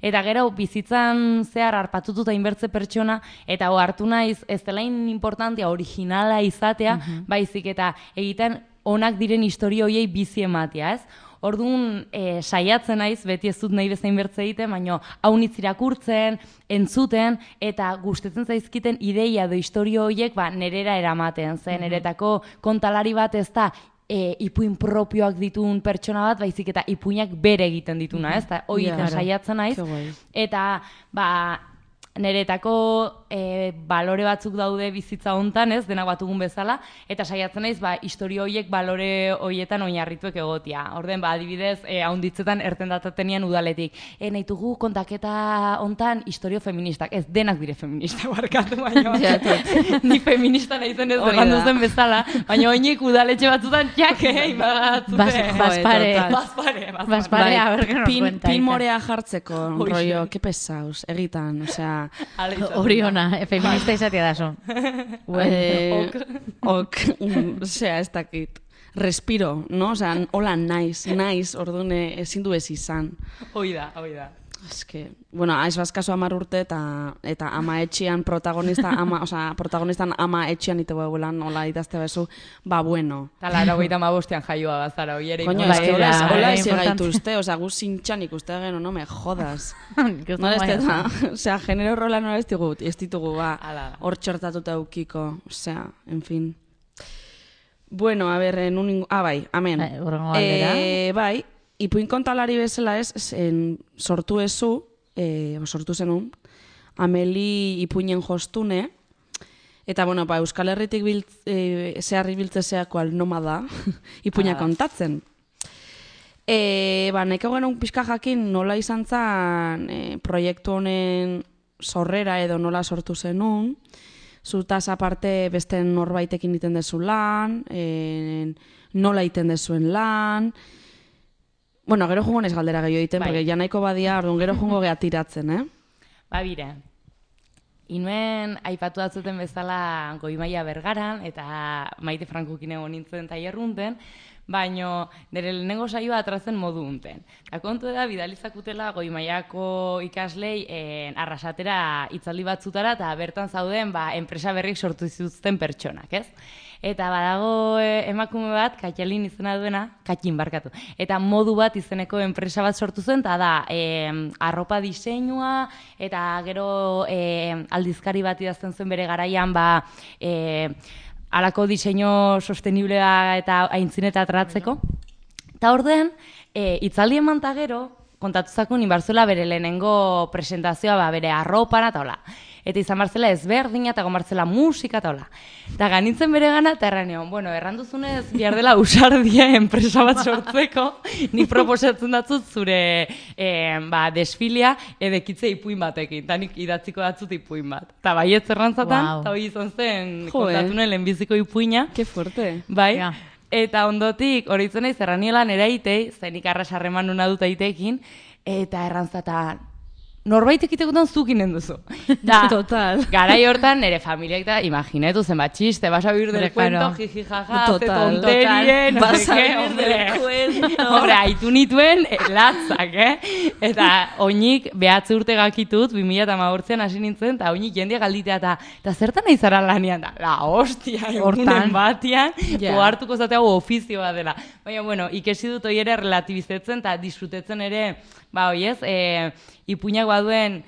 Eta gero bizitzan zehar harpatututa inbertze pertsona, eta ho hartu naiz ez dela importantea originala izatea, baizik eta egiten onak diren historio horiei bizi ematea, ez? Orduan, e, saiatzen naiz, beti ez dut nahi bezain bertze egiten, baina haunitz irakurtzen, entzuten, eta gustetzen zaizkiten ideia edo historio horiek ba, nerera eramaten. Zen, neretako kontalari bat ez da, e, ipuin propioak ditun pertsona bat, baizik eta ipuinak bere egiten dituna, ez? Eta hori Ja. saiatzen naiz. Ke guai. Eta, ba, neretako e, balore batzuk daude bizitza hontan, ez, denak batugun bezala, eta saiatzen naiz, ba, historio horiek balore horietan oinarrituek egotia. Orden, ba, adibidez, e, haunditzetan erten datatenian udaletik. E, nahitugu kontaketa hontan historio feministak. Ez, denak dire feministak barkatu, baina. Ja, tot. Ni feminista naizen ez Hori errandu da. zen bezala, baina oinik udaletxe batzutan jake, batzute. Bas, baspare, total. Baspare, baspare. baspare, a ver, que nos pin, cuenta. pin Ita. morea jartzeko, Hoxe. rollo, que pesaus, egitan, osea... Hala izan da. Hori ona, e, feminista izatea da son. Eh, ok, mm, osea, ez dakit. Respiro, no? Osea, hola naiz, naiz, ordune ezin du ez izan. Hoi da, hoi da. Eske, bueno, aiz bazkaso amar urte eta eta ama etxean protagonista, ama, osea, protagonistan ama etxean ite begulan, hola idazte bezu, ba bueno. Eta lara hogeita hamabostean jaioa bazara, hoi ere. Coño, Bai, es que hola, da, hola bai, ese importante. gaituzte, osea, gu zintxan ikuste gero, no me jodas. Que No ez bai, da, osea, genero rola no ez ditugu, ez ditugu, ba, Hala da. hor txortatuta eukiko, osea, en fin. Bueno, a ver, en un... Ah, bai, amen. Bai, hurrengo galdera. Eh, bai, ipuin kontalari bezala ez, zen, sortu ezu, eh, sortu zenun, Ameli ipuinen jostune, eta, bueno, ba, Euskal Herritik bilt, eh, zeharri biltzezeako nomada, ipuina Hala da. kontatzen. E, ba, nahiko genuen pixka jakin nola izan zen e, proiektu honen sorrera edo nola sortu zenun, zutaz aparte beste norbaitekin egiten dezu lan, e, nola egiten dezuen lan, bueno, gero jungo nez galdera gehiago egiten, Bai. porque ja nahiko badia, orduan gero jungo geha tiratzen, eh? Ba, bire. Inuen aipatu datzuten bezala Goi Maila Bergaran, eta Maite Frankokin egon nintzen tailerrunten, baino nire lehenengo saioa atratzen modu unten. Eta kontu da, bidalizakutela goi mailako ikaslei eh, arrasatera hitzaldi batzutara, eta bertan zauden ba, enpresa berrik sortu zituzten pertsonak, ez? Eta badago e, emakume bat, Katalin izena duena, Katin barkatu. Eta modu bat izeneko enpresa bat sortu zen, eta da, e, arropa diseinua, eta gero e, aldizkari bat idazten zuen bere garaian, ba, e, alako diseinu sosteniblea eta aintzineta atratzeko. Eta orden, e, itzaldi eman ta gero, kontatu zakun inbarzuela bere lehenengo presentazioa, ba, bere arropan, eta hola. Eta izan barzela ezberdina, eta gomartzela musika, eta hola. Eta ganintzen bere gana, eta erranean, bueno, erranduzunez, bihar dela usardia enpresa bat sortzeko, ni proposatzen datzut zure eh, ba, desfilia edekitze ipuin batekin, eta nik idatziko datzut ipuin bat. Eta baietz errantzatan, eta wow. Hoi izan zen, kontatunen lehenbiziko ipuina. Que fuerte. Bai, Ja. Eta ondotik, horitzen naiz, erranielan eraitei, zenik arras harreman nuna dut aitekin, eta errantzatan, norbaitek itekotan zukinen duzu. Da, Total. garai hortan nire familiak da, imaginetu zenbat txiste, vas a vivir del Claro. cuento, jiji jaja, ze Total, tonterie, no Vas sé a qué, vivir hombre. del cuento. Hombre, haitu nituen eh, latzak, eh? Eta oinik behatze urte gakitut, bi mila hamabostean hasi nintzen, eta oinik jendia galditea, eta, eta zertan nahi zara lanian da? La hostia, Hortan. egunen batian, Ja. ohartuko zatea ofizioa dela. Baina, bueno, ikesi dut hoi ere relatibizetzen, eta disfrutetzen ere, ba, hoi ez, e, ipuinak baduen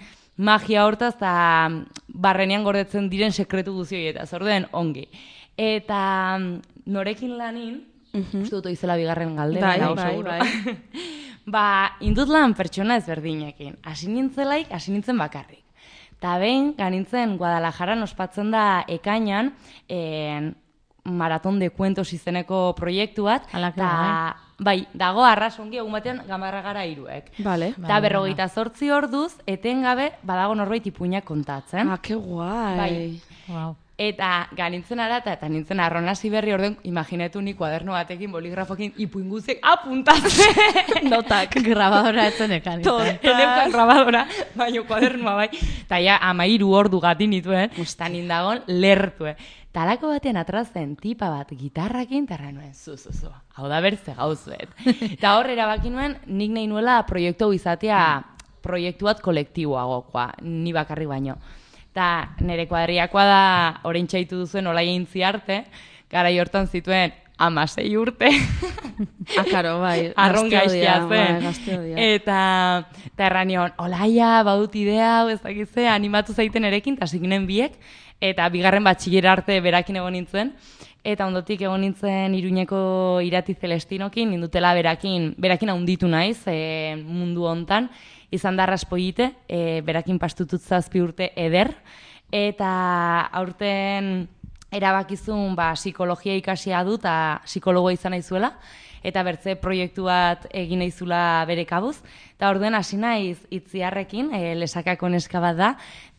magia hortaz, eta barrenean gordetzen diren sekretu guzioi, eta zorduen ongi. Eta norekin lanin, uste dut izela bigarren galdera, Bai, nago bai, seguro. bai. Ba, indut lan pertsona ezberdinekin. Hasi nintzelaik, hasi nintzen bakarrik. Ta behin, ganintzen Guadalajaran ospatzen da ekainan, en, Maraton de Cuentos izeneko proiektu bat, Ala, que ta, bai, dago arras ongi egun batean gamarra gara hiruek. Vale. Eta berrogeita zortzi orduz, etengabe, badago norbait ipuinak kontatzen. Ah, que guai. Bai. Wow. Eta ganintzen ara, eta, eta nintzen arronasi berri orden, imaginetu ni kuaderno batekin, boligrafokin, ipuin guztiek apuntatzen. Notak. Grabadora etzen ekan. Eneukan grabadora, baina kuadernoa bai. Eta ja, amairu ordu gati nituen, eta nindagon lertue. Talako batean atrazen tipa bat gitarrakin, tarra nuen, zu, zu, zu, hau da bertze gauzuet. Eta hor erabaki nuen, nik nahi nuela proiektu hau izatea proiektu bat kolektiboagokoa, ni bakarri baino. Eta nire kuadriakoa da, orain txaitu duzuen olai eintzi arte, gara hortan zituen amasei urte. Ah, karo, bai. Arron gazte gaizkia odia, bai, zen. gazte odia. Eta, eta erranion, olaia, badut idea, hau ez dakitze, animatu zaiten erekin, eta ziginen biek, eta bigarren batxillera arte berakin egon nintzen, eta ondotik egon nintzen Iruñeko Irati Celestinokin, nindutela berakin, berakin handitu naiz e, mundu hontan, izan da raspoite, e, berakin pastutut zazpi urte eder, eta aurten erabakizun ba, psikologia ikasia du eta psikologoa izan naizuela, eta bertze proiektu bat egin naizula bere kabuz. Eta orduen hasi naiz itziarrekin, e, lesakako neska bat da,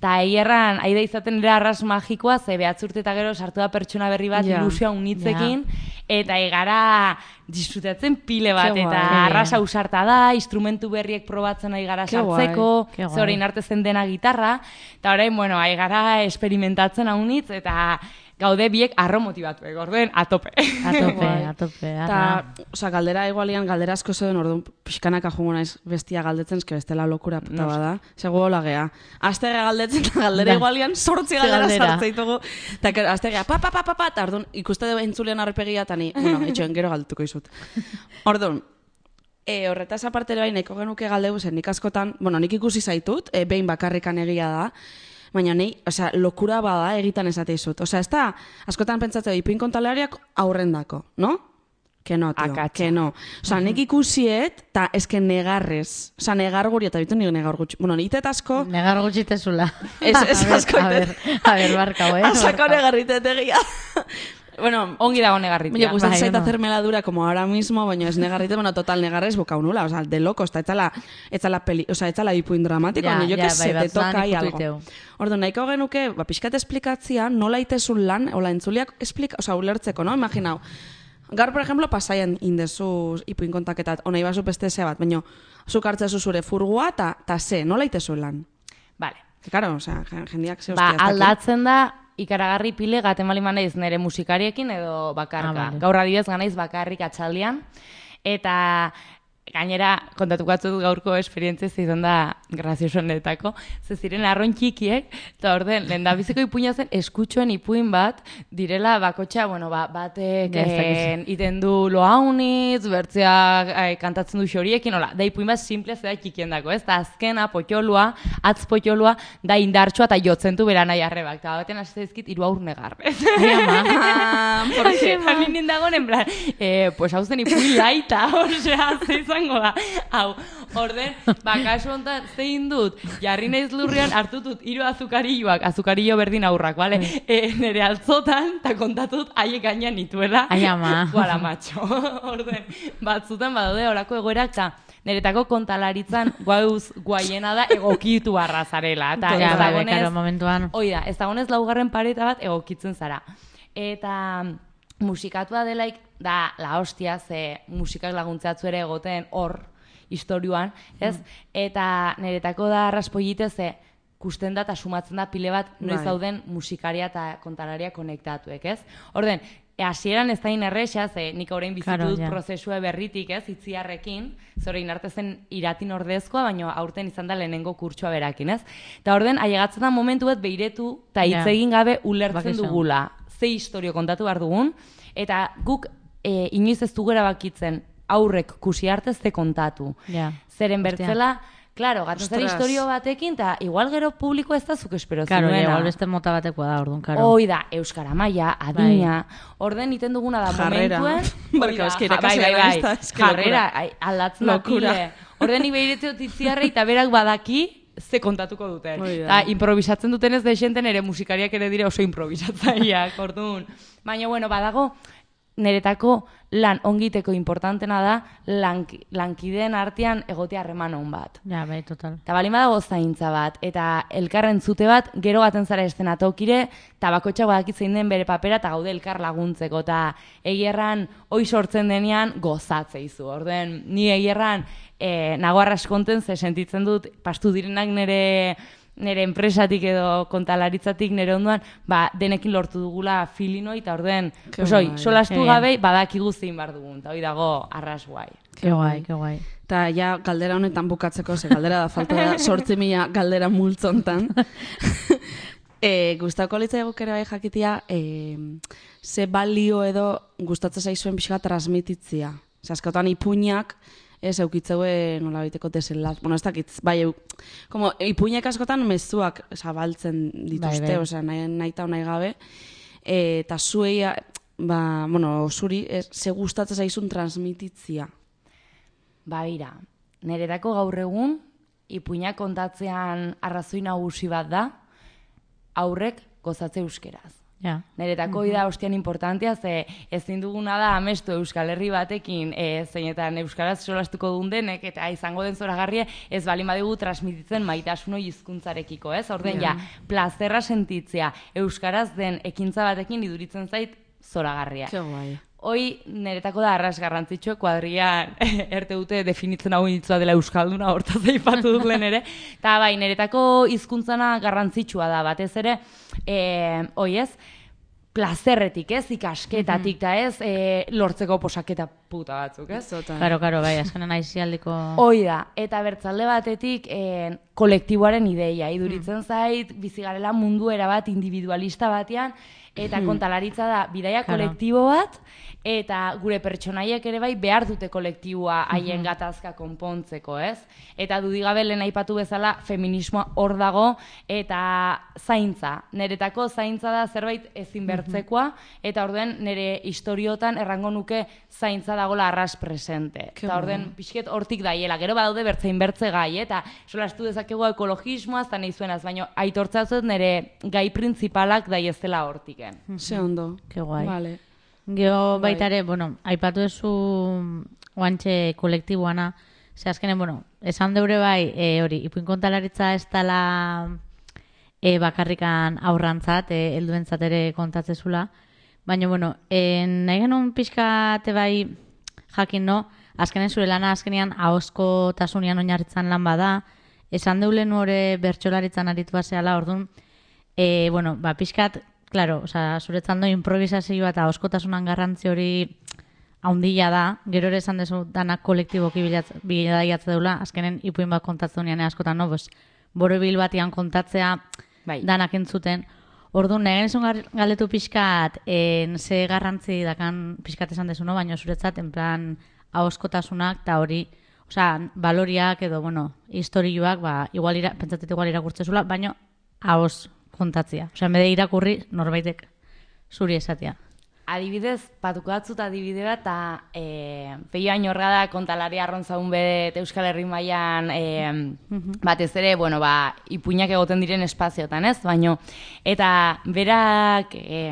eta hierran, aida izaten ere arras magikoa, ze behatzurte eta gero sartu da pertsona berri bat Ja. ilusioa unitzekin, eta egara disfrutatzen pile bat, Ke eta guai. arrasa usarta da, instrumentu berriek probatzen ari gara Ke guai, sartzeko, ke guai. ze orain arte zen dena gitarra, eta orain, bueno, ari gara experimentatzen haunitz, eta gaude biek arro motibatuek, orduen atope. A tope, a tope. Eta, osea, galdera igualian, galdera asko zeuden, orduan pixkanaka jungo naiz bestia galdetzen, eske bestela lokura puta bada. Segu hola gea. Azterra galdetzen, eta galdera Da. igualian sortzi Ze galdera galdera. sartzeitugu. Eta gero, azterra, pa, pa, pa, pa, pa, eta orduan ikuste dugu entzulean arpegia, eta ni, bueno, etxoen gero galdetuko izut. Orduan, e, horretaz aparte ere bai, nahiko genuke galdegu zen, nik askotan, bueno, nik ikusi zaitut, e, behin bakarrikan egia da, baina nahi, osea, lokura bada egitan esate izut. Osea, ez da, askotan pentsatzea, ipuin kontaleariak aurrendako, no? Que no, tio, Akatsa. que no. Osea, nik ikusiet, eta eske negarrez. Osea, negar guri, eta bitu nik negar gutxi. Bueno, nitet asko, Negar gutxitezula. Ez- ez A ber, asko A ber, a ber, barkau, eh? asako barkau. negarritet egia. Bueno, Ongi dago negarritia. Baina gustatzen bai, zait no. hacerme la dura como ahora mismo, baina ez negarrite, bueno, total negarrez bokau nula, o sea, de locos, eta etzala, etzala peli, o sea, etzala ipuin dramatiko, Ja, baina jo ja, que bai, se te batzutan toca ahí ikutu algo. iteu. Ordu, nahiko genuke, ba, pixkat esplikatzia, nola itezun lan, ola entzuliak esplika, o sea, ulertzeko, no? Imaginau, gaur, por ejemplo, pasaian indezu ipuin kontaketat, ona ibazu peste ze bat, baina zuk hartzezu zure furgua, eta ta ze, nola itezun lan? Vale. Claro, o sea, jendiak ze Ba, hostia ez daki. aldatzen da ikaragarri pile gaten bali manaiz nire musikariekin edo bakarka. Ah, vale. Gaur adibidez ganaiz bakarrik atxaldian. Eta gainera, kontatuko batzut gaurko esperientzia izan da graziosonetako, ze ziren arron txikiek, eta orden, lehen da biziko ipuina zen eskutxoen ipuin bat, direla bakotxa, bueno, ba, batek Ja, ez dakizu. en, iten du loaunitz, bertzea eh, kantatzen du xoriekin, hola, da ipuin bat simplea zeda txikien dako, ez? Da azkena, potxolua, atz potxolua, da indartxoa eta jotzen du beranai arrebak, eta baten hasi zaizkit hiru aur negarrez. Ai, ama. Ah, ¿por qué? Eta ninin dagoen, en plan, eh, pues hau zen ipuin laita, osea, ze izango da. Hau, orden, ba, kasu honetan, zein dut, jarri naiz lurrean, hartutut hiru azukarilloak, azukarillo berdin aurrak, bale? E, nere altzotan, eta kontatut haiek gainean nituela. Ai, ama. Guala, macho. Orden, batzutan badaude horako egoerak, eta niretako kontalaritzan guauz guaiena da egokitu barra zarela. Eta Ja, ez bai, bai, dagonez- karo, momentuan. Hoi da, ez dagonez laugarren pareta bat egokitzen zara. Eta musikatua delaik da la hostia, ze musikak laguntzatzu ere egoten hor, historioan, ez? Eta niretako da raspollite ze kusten da eta sumatzen da pile bat noiz Bai. dauden musikaria eta kontalaria konektatuek, ez? Orden, e, hasieran ez da inerresa, ze nik orain bizitu Claro, dut ja. prozesua berritik, ez? Itziarrekin, zore inarte zen iratin ordezkoa, baina aurten izan da lehenengo kurtsoa berakin, ez? Eta orden, ailegatzen da momentu bat beiretu eta hitz Ja. egin gabe ulertzen Bakizu. dugula. Ze historio kontatu behar dugun, eta guk e, inoiz ez dugu erabakitzen aurrek kusi arte ze kontatu. Ja. Zeren Hostia. bertzela, claro, gatzen zara Ostras. historio batekin, eta igual gero publiko ez da zuk espero Karo, ja, zuena. igual beste mota batekoa da, orduan, karo. Hoi da, euskara maila, adina, orden iten duguna da Jarrera. momentuen. Barkatu, hoi da, eske ja, bai, irakaslea bai, naiz bai. eta, eske lokura. Jarrera, ai, aldatzen da Lokura. pile. Orden ibeirete otitziarre eta berak badaki ze kontatuko duten. Hoi da. Eta improvisatzen dutenez desenten ere musikariak ere dire oso improvisatzaileak, orduan. Baina, bueno, badago, niretako lan ongiteko importantena da lank, lankideen artean egotea harreman on bat. Ja, bai, total. Eta balin badago zaintza bat, eta elkarren zute bat, gero baten zara eszenatokire, eta bakotxak badakit zein den bere papera, eta gaude elkar laguntzeko, eta egierran hoi sortzen denean gozatzeizu. Orden, ni egierran e, nago arraskonten, ze sentitzen dut, pastu direnak nire nire enpresatik edo kontalaritzatik nire ondoan, ba, denekin lortu dugula filinoi, eta orden, Ke pues, oi, guai. solastu Ke gabe, badakigu zein bar dugun, eta hoi dago arras guai. Ke guai, ke guai. Eta ja, galdera honetan bukatzeko, ze galdera da, falta da, sortzi mila galdera multzontan. e, gustako litzai guk ere bai jakitia, e, ze balio edo gustatzen zaizuen pixka transmititzia. Ze askotan ipuinak, ez eukitzeue nola baiteko desenlaz. Bueno, ez dakit, bai, eu, como, ipuinak askotan mezuak zabaltzen dituzte, Bai, bai. osea, nahi, nahi eta nahi gabe. E, eta zuei, ba, bueno, zuri, ez, ze gustatzen zaizun transmititzia. Ba, bira, niretako gaur egun, ipuinak kontatzean arrazoi nagusi bat da, aurrek gozatze euskeraz. Ja. Niretako uh da ostian importantea, ze ezin duguna da amestu Euskal Herri batekin, e, zeinetan euskaraz solastuko duen denek, eta izango den zoragarria, ez balin badigu transmititzen maitasun hori hizkuntzarekiko, ez? Orden, ja, plazerra sentitzea euskaraz den ekintza batekin iduritzen zait zoragarria. Ke guai. Hoi, niretako da arras garrantzitsua, kuadrian erte dute definitzen hau initzua dela euskalduna, hortaz aipatu dut lehen ere. Eta bai, niretako hizkuntzana garrantzitsua da, batez ere, e, hoi ez, plazerretik ez, ikasketatik, eta ez, e, lortzeko posaketa puta batzuk, ez? Total. Karo, karo, bai, azkenen aizialdiko... Hoi da, eta bertzalde batetik e, kolektiboaren ideia, iduritzen zait, bizigarela mundu erabat individualista batean, eta kontalaritza da bidaia Claro. kolektibo bat, eta gure pertsonaiek ere bai behar dute kolektiboa haien gatazka konpontzeko, ez? Eta dudigabe lehen aipatu bezala feminismoa hor dago, eta zaintza. Neretako zaintza da zerbait ezin bertzekoa, eta orden nire historiotan errango nuke zaintza dagola arras presente. Ke Eta orden pixket hortik daiela, gero badaude bertzein bertze gai, eta solastu dezakegu ekologismoaz, eta nahi zuenaz, baina aitortzatzen nire gai printzipalak daiezela hortiken. Ze ondo. Ke guai. Vale. Gero baita ere, bueno, aipatu ezu oantxe kolektiboana, ze azkenen, bueno, esan deure bai, e, hori, ipuin kontalaritza ez dela e, bakarrikan aurrantzat, e, helduentzat ere kontatzezula, baina, bueno, e, nahi genuen pixkate bai jakin, no? Azkenen zure lana azkenean ahozko tasunian oinarritzan lan bada, esan deule hori bertsolaritzan aritu baseala, orduan, e, bueno, ba, pixkat claro, osea, zuretzando improvisazioa eta oskotasunan garrantzi hori haundila da, gero ere esan dezu danak kolektiboki bidaiatze deula, azkenen ipuin bat kontatzen unean askotan, no, pues, borobil batian kontatzea Bai. danak entzuten. Orduan, nire genizun galdetu pixkat, en, ze garrantzi dakan pixkat esan dezu, no? Baina zuretzat, en plan, ahoskotasunak eta hori, osea, baloriak edo, bueno, historioak, ba, igual ira, pentsatet igual irakurtzezula, baina ahos kontatzea. Osea, mede irakurri norbaitek zuri esatea. Adibidez, patuko batzut adibide bat, eta e, Peio Añorga da kontalari arrontzaun bedet Euskal Herri mailan e, batez ere, bueno, ba, ipuinak egoten diren espaziotan, ez? Baino, eta berak e,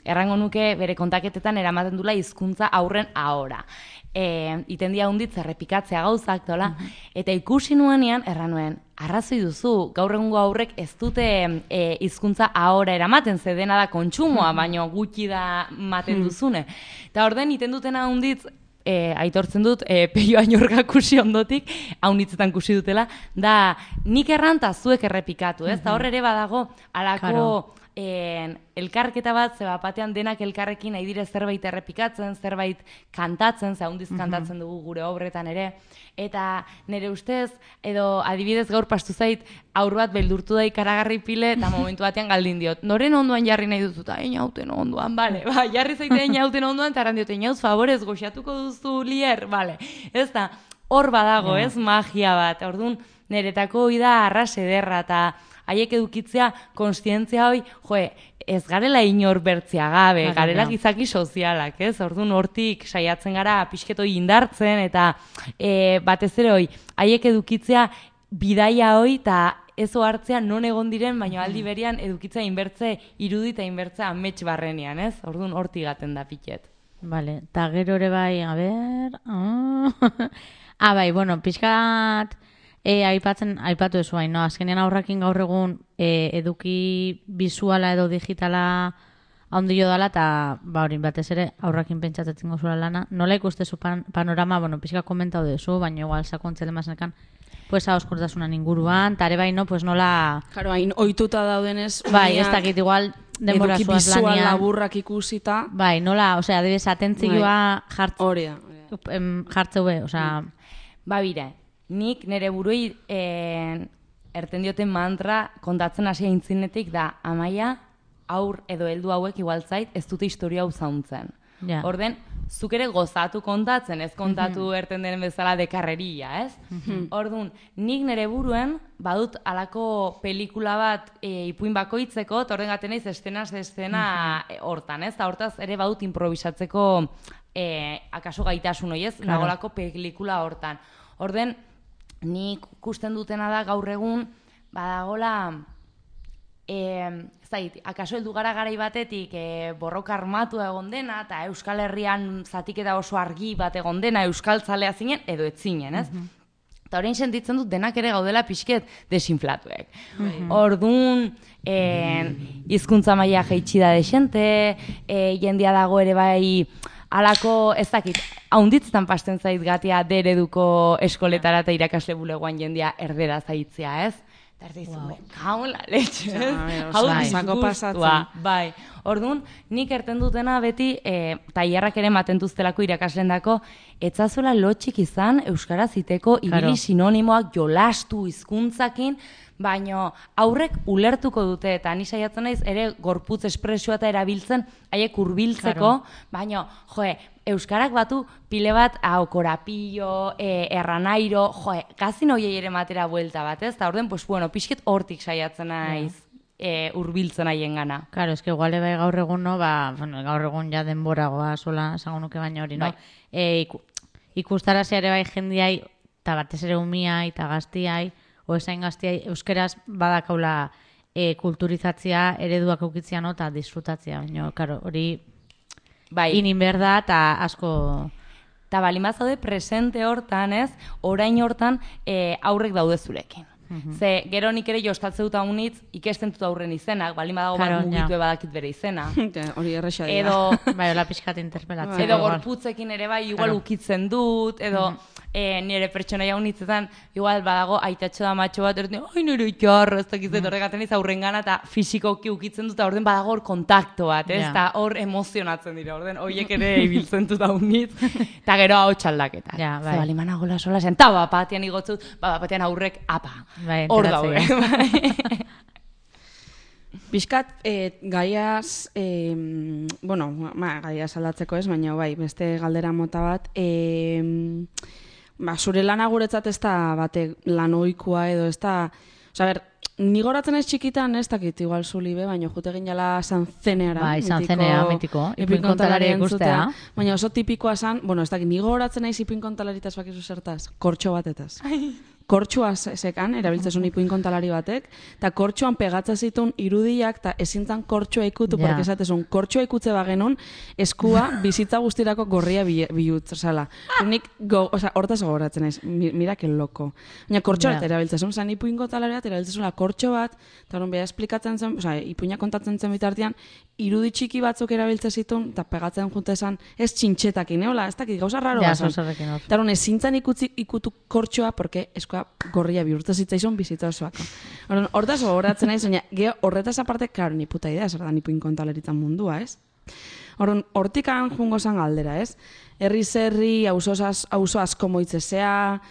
errango nuke bere kontaketetan eramaten dula hizkuntza aurren ahora. E, iten dia hunditz errepikatzea gauzak, dola, eta ikusi nuenean, erranuen, arrazoi duzu, gaur egungo aurrek ez dute e, hizkuntza ahora eramaten, ze dena da kontsumoa, baino gutxi da maten duzune. Eta orden iten dutena hunditz, e, aitortzen dut, e, Peio Añorga kusi ondotik, haunitzetan kusi dutela, da nik erran eta zuek errepikatu, ez? Eta hor ere badago, alako... Claro. En, elkarketa bat, ze batean denak elkarrekin nahi dire zerbait errepikatzen, zerbait kantatzen, ze handiz kantatzen dugu gure obretan ere, eta nire ustez, edo adibidez gaur pastu zait, aur bat beldurtu da ikaragarri pile, eta momentu batean galdin diot, noren onduan jarri nahi duzu, eta einauten onduan, bale, ba, jarri zaite einauten onduan, eta aran diot, einauz favorez, goxatuko duzu lier, bale, ez da, hor badago, ez, magia bat, orduan, niretako hoi da arras ederra, eta haiek edukitzea konstientzia hoi, joe, ez garela inor bertzea gabe, Claro, garela ja. gizaki sozialak, ez? Orduan hortik saiatzen gara pixketoi indartzen, eta e, batez ere hoi, haiek edukitzea bidaia hoi, eta ez ohartzea non egon diren, baina aldi berian edukitzea inbertze irudi eta inbertzea amets barrenean, ez? Orduan hortik gaten da piket. Vale, eta gero ere bai, a ber... Ah, ah bai, bueno, pixkat... E, aipatzen, aipatu ezu hain, no? Azkenean aurrakin gaur egun e, eduki bizuala edo digitala handio dala, eta ba hori batez ere aurrakin pentsatzen gozula lana. Nola ikustezu pan, panorama, bueno, pixka komentau dezu, baina igual sakontzen emazenekan, pues hauskortasunan inguruan, eta ere bai, no, pues nola... Claro, hain ohituta daudenez... Bai, ez dakit igual denbora eduki zuaz bizual lanian. laburrak ikusita... Bai, nola, osea, adibidez, atentzioa jart, Hori da. hori da. em, jartzeu be, osea... Ba bire, nik nire buruei eh, erten dioten mantra kontatzen hasi aintzinetik da, Amaia, aur edo heldu hauek igual zait ez dute historia hau zauntzen. Ja. Orden, zuk ere gozatu kontatzen, ez kontatu erten den bezala dekarreria, ez? Orduan, nik nire buruen badut alako pelikula bat e, ipuin bakoitzeko, eta orden gaten naiz estenaz estena e, hortan, ez? Eta hortaz ere badut improvisatzeko e, akaso gaitasun hoi, ez? Claro. Nagolako pelikula hortan. Orden, nik ikusten dutena da gaur egun, badagola, e, ez da, akaso heldu gara garai batetik e, borroka armatua egon dena, eta Euskal Herrian zatiketa oso argi bat egon dena, euskaltzalea zinen, edo ez zinen, ez? Eta orain sentitzen dut denak ere gaudela pixket desinflatuek. Orduan, e, hizkuntza maila jaitsi da desente, e, jendia dago ere bai, alako, ez dakit, haunditzetan pasten zait gatia dereduko eskoletara eta irakasle bulegoan jendia erdera zaitzea, ez? Eta erdi izun, wow. Kaun la letxe, ez? Ja, Hau bai, disgustua, sako pasatzen. bai. Orduan, nik erten dutena beti, e, tailerrak ere matentuztelako irakaslendako, etzazuela lotxik izan euskaraz iteko ibili Claro. sinonimoak jolastu hizkuntzakin, baino aurrek ulertuko dute, eta ni saiatzen naiz ere gorputz espresioa eta erabiltzen haiek hurbiltzeko, Claro. baino, joe, euskarak batu pile bat hau korapillo, e, erranairo, joe, gazin hoiei ere matera buelta bat, ez? Eta orden, pues bueno, pixket hortik saiatzen naiz e, hurbiltzen haien gana. Claro, es que igual bai gaur egun, no, ba, bueno, gaur egun ja denboragoa sola esango nuke baina hori, no? Bai. E, iku, ikustarazi ere bai jendiai, eta batez ere umiai, eta gaztiai, o esain gaztiai, euskeraz badakaula e, kulturizatzea, ereduak eukitzea, no, eta disfrutatzea, baina, claro, hori Bai. inin behar da, eta asko... Eta balin bazaude presente hortan, ez, orain hortan e, aurrek daude zurekin. Ze, gero nik ere jostatze dut haunitz, ikesten dut aurren izenak, balin badago Claro, bat mugitu ja. badakit bere izena. Ja, hori erresa dira. Edo, Bai, hola pixkat interpelatzea. edo igual. gorputzekin ere bai, igual Claro. ukitzen dut, edo e, nire pertsonaia unitzetan, igual badago aitatxo da matxo bat, erten, ai nire jarra, ez dakizet, horregaten iz aurrengana, eta fisikoki ukitzen dut, eta orden badago hor kontakto bat, ez? Eta hor emozionatzen dira, orden, horiek ere ibiltzen dut unitz, eta gero hau txaldaketa. Ja, bai. Ze bali gola sola zen, eta bapatian igotzut, ba, bapatian aurrek, apa, Bai, hor enteratzen daude. Piskat, eh, gaiaz, eh, bueno, ma, gaiaz aldatzeko ez, baina bai, beste galdera mota bat, eh, ba, zure lana guretzat ez da bate lan ohikoa edo ez da, oza, ber, ni goratzen ez txikitan, ez dakit, igual zuli be, baina jute egin jala Sanzeneara. Bai, Sanzenea, mitiko, ipuin kontalari ikustea. Baina oso tipikoa zan, bueno, ez dakit, ni goratzen naiz ipuin kontalaritaz bakizu zertaz, kortxo batetaz. Kortxoa sekan, erabiltzezun ipuin kontalari batek, eta kortxoan pegatza zituen irudiak, eta ezintzan kortxoa ikutu, Ja. porque esatezun, kortxoa ikutze bagenun, eskua bizitza guztirako gorria bi- bihutz, osala. Nik, go, oza, hortaz gogoratzen naiz, mi- mira que loko. Baina kortxo bat Ja. erabiltzezun, zan ipuin kontalari bat, erabiltzezun kortxo bat, eta hori beha esplikatzen zen, oza, ipuina kontatzen zen bitartean, irudi txiki batzuk erabiltzen zituen, eta pegatzen junte esan, ez txintxetakin, eola, ez dakit, gauza raro Ja, bazan. zorzerrekin hor. Eta hori ezintzan ikutzi, ikutu kortxoa, porque eskoa gorria bihurtu zitzaizun bizita osoako. Orduan, hortaz gogoratzen naiz, baina geho horretaz aparte, klaro, ni puta idea, zer da ipuin kontalaritzan mundua, ez? Orduan, hortikan jungo zan galdera, ez? Herri zerri, auzo auzo asko moitzezea,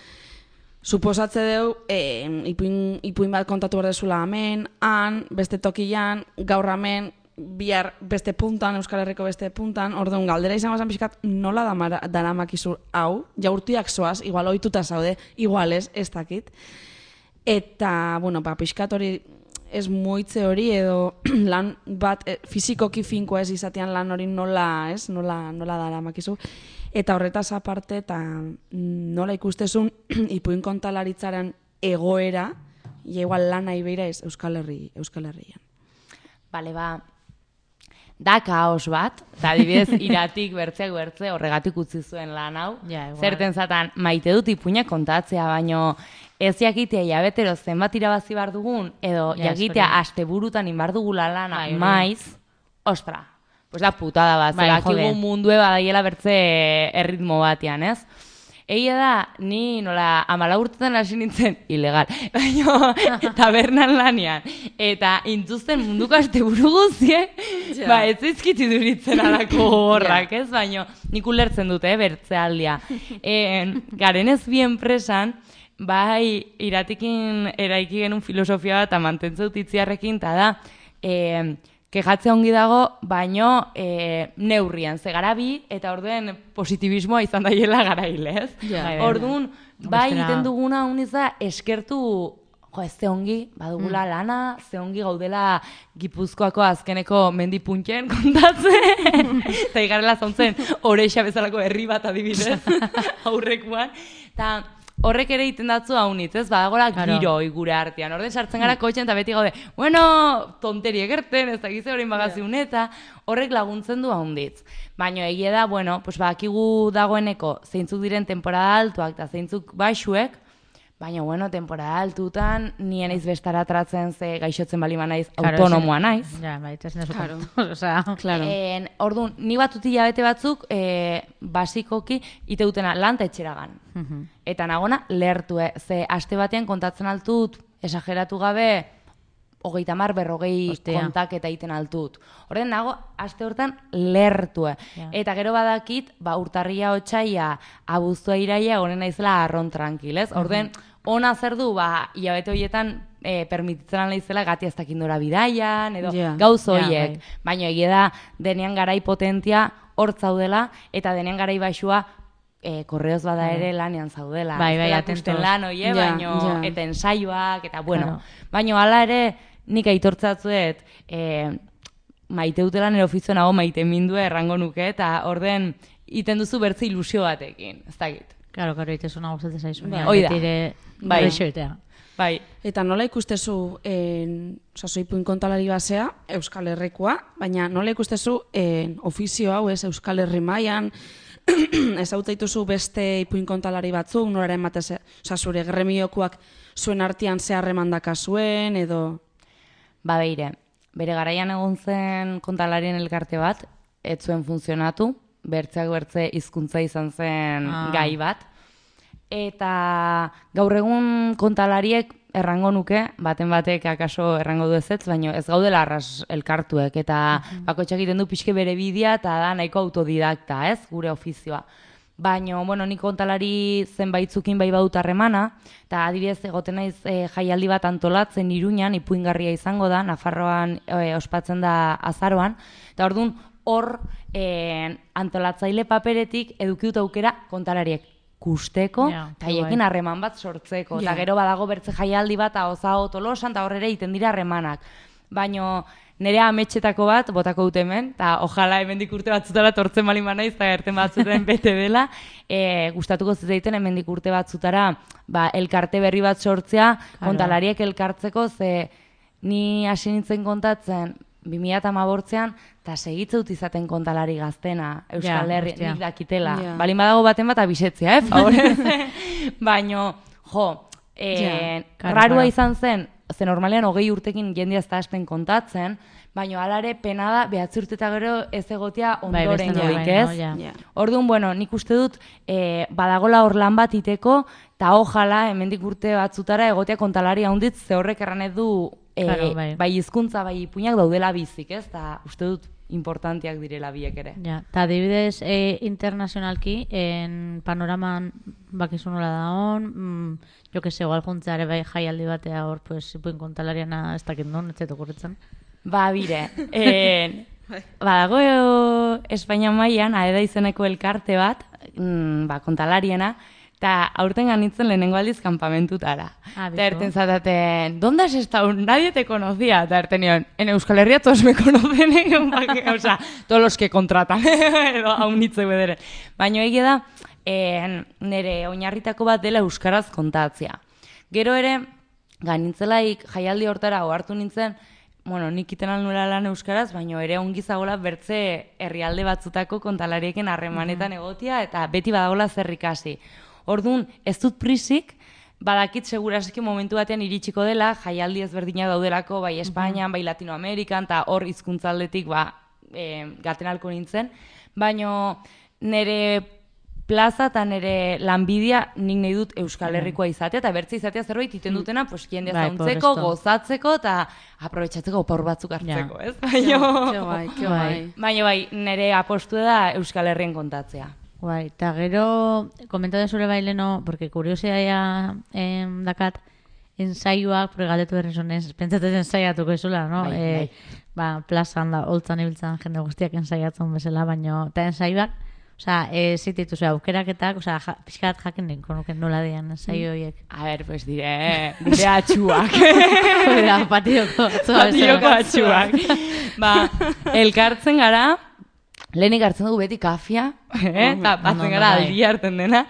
suposatze deu, eh, ipuin, ipuin bat kontatu behar dezula hemen, han, beste tokian, gaur hemen, bihar beste puntan, Euskal Herriko beste puntan, orduan galdera izango zen pixkat nola damara, daramakizu hau, jaurtiak zoaz, igual ohituta zaude, igual ez, ez dakit. Eta, bueno, ba, pixkat hori ez moitze hori edo lan bat e, fizikoki finkoa ez izatean lan hori nola, ez, nola, nola daramakizu. Eta horretaz aparte, eta nola ikustezun ipuin kontalaritzaren egoera, ja igual lana ibeira ez Euskal Herri, Euskal Herrian. Bale, ba, da kaos bat, eta adibidez iratik bertzeak bertze horregatik utzi zuen lan hau. Ja, igual. Zerten zatan, maite dut ipuinak kontatzea, baino ez jakitea jabetero zenbat irabazi bar dugun, edo Ja, jakitea hori. asteburutan inbar dugula lana, Bai, hori. maiz, ostra, pues da putada bat, Bai, zerakigu jode. mundue badaiela bertze erritmo batean, ez? Egia da, ni nola amala urtetan hasi nintzen, ilegal, baina tabernan lanean, eta intuzten munduko asteburu guziek, Ja. ba, ez zaizkiti duritzen alako horrak, ez? Baina nik ulertzen dute, eh, bertzealdia. En, garen ez bi enpresan, bai, iratikin eraiki genuen filosofia bat, eta mantentzen dut itziarrekin, eta da, eh, kejatzea ongi dago, baino e, neurrian, ze gara bi, eta orduen positibismoa izan daiela garaile, ez? Ja. Bai, bai, Orduan, bai Bestela- egiten duguna uniz da eskertu, jo, ez ze ongi, badugula lana, ze ongi gaudela Gipuzkoako azkeneko mendipuntxen kontatzen, eta igarrela zontzen oreixa bezalako herri bat adibidez, aurrekuan, eta horrek ere egiten datzu haunitz, ez? Badagola Claro. giroi gure artean. Orden sartzen gara kotxen eta beti gaude, bueno, tonterie gerten, ez dakize horrein bagaziun eta horrek laguntzen du haunditz. Baina egia da, bueno, pues badakigu dagoeneko zeintzuk diren temporada altuak eta zeintzuk baixuek, baina, bueno, temporada altutan nien naiz bestara tratzen ze gaixotzen bali naiz, Claro, autonomoa ezin- naiz. Ja, bai, ez nezu Claro. Osea, Claro. En, orduan, ni batut hilabete batzuk, e, basikoki, iteutena lan eta etxeragan. mhm. Eta nagona lehertu, eh? Ze aste batean kontatzen altut, esageratu gabe, hogeita mar berrogei Ostia. kontaketa egiten altut. Horren nago, aste hortan lehertu. eh? Ja. Eta gero badakit, ba, urtarria otsaia, abuztua iraia, honen naizela arron tranquilez. Orden, ona zer du, ba, hilabete horietan, e, permititzen naizela gati ez dakindora bidaian, edo Ja. gauz Ja, horiek. bai. Baina egia da, denean garai potentia hor zaudela, eta denean garai baixua e, korreoz bada ere lanean zaudela. Bai, bai, Ez dela atentos. ikusten lan oie, Ja, baino, ja. eta ensaioak, eta bueno. Claro. Baino hala ere, nik aitortzatzuet, e, maite dutela nire ofizio nago maite mindue errango nuke, eta orden iten duzu bertze ilusio batekin, ez dakit. Claro, claro, itezuna gustatzen zaizu. Bai. Hoi da. Bai. Bai. Bai. Bai, Eta nola ikustezu, en, oza, soipuin kontalari basea, Euskal Herrikoa, baina nola ikustezu en, ofizio hau, ez, Euskal Herri mailan, ez hautaituzu beste ipuin kontalari batzuk, noraren batez, oza, zure gremiokoak zuen artean ze harremandaka zuen, edo... ba beire, bere garaian egon zen kontalarien elkarte bat, ez zuen funtzionatu, bertzeak bertze hizkuntza izan zen Ah. gai bat, eta gaur egun kontalariek errango nuke, baten batek akaso errango du ezetz, baina ez gaudela arras elkartuek, eta uh-huh. bakotxak egiten du pixke bere bidea, eta da nahiko autodidakta, ez, gure ofizioa. Baina, bueno, nik kontalari zenbaitzukin bai badut harremana, eta adibidez egoten naiz e, jaialdi bat antolatzen Iruñan, ipuingarria izango da, Nafarroan e, ospatzen da azaroan, eta orduan hor e, antolatzaile paperetik eduki dut aukera kontalariek kusteko, eta yeah, haiekin harreman bat sortzeko. Eta yeah. gero badago bertze jaialdi bat, hau Tolosan, eta horrere egiten dira harremanak. Baina nire ametxetako bat, botako dut hemen, eta ojala hemendik urte batzutara tortzen bali manaiz, eta erten batzuten bete dela, e, gustatuko zitzaiten hemendik urte batzutara ba, elkarte berri bat sortzea, claro. kontalariek elkartzeko, ze ni hasi nintzen kontatzen, bi mila hamabortzean, eta segitzeut izaten kontalari gaztena, Euskal yeah, Herri, nik dakitela. Yeah. Balin badago baten bat abisetzea, eh, favorez. Baina, jo, eh, yeah, rarua izan zen, ze normalean hogei urtekin jendia ez da hasten kontatzen, baina alare pena da behatzi urte eta gero ez egotea ondoren bai, joik, ez? No, yeah. yeah. Orduan, bueno, nik uste dut eh, badagola hor lan bat iteko, eta ojala, hemendik urte batzutara egotea kontalari haunditz, ze horrek erranet du E, claro, bai. bai hizkuntza, bai ipuinak daudela bizik, ez? Ta uste dut importanteak direla biek ere. Ja, ta adibidez e, internazionalki, en panoraman bakizu nola da hon, mm, jo que se, igual juntzeare bai jaialdi batea hor, pues, ipuin kontalariana ez dakit non, ez zaitu kurritzen. Ba, bire, en, badago Espainia mailan aeda izeneko elkarte bat, mm, ba, kontalariena, eta aurten ganitzen lehenengo aldiz kampamentutara. Ah, eta erten zataten, ¿dónde has estado? Nadie te conocía. Eta erten nion, en Euskal Herria todos me conocen, o sea, todos los que contratan, edo haunitze bederen. Baina egia da, eh, nire oinarritako bat dela euskaraz kontatzea. Gero ere, ganitzelaik jaialdi hortara ohartu nintzen, bueno, nik iten alnuela lan euskaraz, baina ere ongi zagola bertze herrialde batzutako kontalariekin harremanetan egotia, eta beti badagola zer ikasi. Orduan, ez dut prisik, badakit seguraski momentu batean iritsiko dela, jaialdi ezberdinak daudelako, bai Espainian, bai Latinoamerikan, eta hor hizkuntzaldetik ba, e, gaten alko nintzen, baina nire plaza eta nire lanbidea nik nahi dut Euskal Herrikoa izatea, eta bertze izatea zerbait iten dutena, pues, jende zauntzeko, gozatzeko, eta aprobetxatzeko opor batzuk hartzeko, ez? Baina bai, nire apostu da Euskal Herrien kontatzea. Bai, eta gero, komentatu zure baileno, porque kuriosia eh, dakat, ensaioak, porque galdetu berri zonez, pentsatzen ensaiatuko izula, no? Bai, e, bai. Ba, plazan da, holtzan ibiltzen jende guztiak ensaiatzen bezala, baina, eta ensaioak, osea, e, zititu, osea, aukeraketak, osea, ja, pixkat jakin ninko nuken nola dian ensaio horiek. A ver, pues dire, dire atxuak. Dira, patioko atxuak. Patioko atxuak. Ba, elkartzen gara, lehenik hartzen dugu beti kafia, eta batzen gara aldi hartzen dena,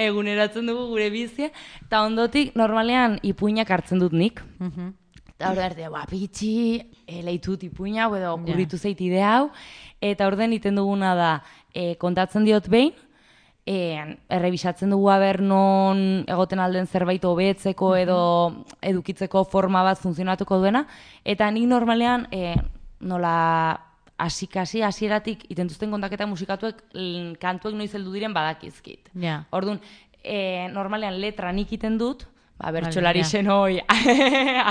eguneratzen dugu gure bizia, eta ondotik normalean ipuinak hartzen dut nik. Eta hor da, ba, pitxi, leitut ipuina, edo kurritu zeit idea hau, eta orden iten duguna da, kontatzen diot behin, errebisatzen dugu aber non egoten alden zerbait hobetzeko edo edukitzeko forma bat funtzionatuko duena, eta nik normalean nola hasi-kasi, hasieratik itentuzten kontaketa musikatuek kantuek noiz heldu diren badakizkit. Yeah. Orduan, e, normalean letra nik iten dut, ba, bertsolari zen hoi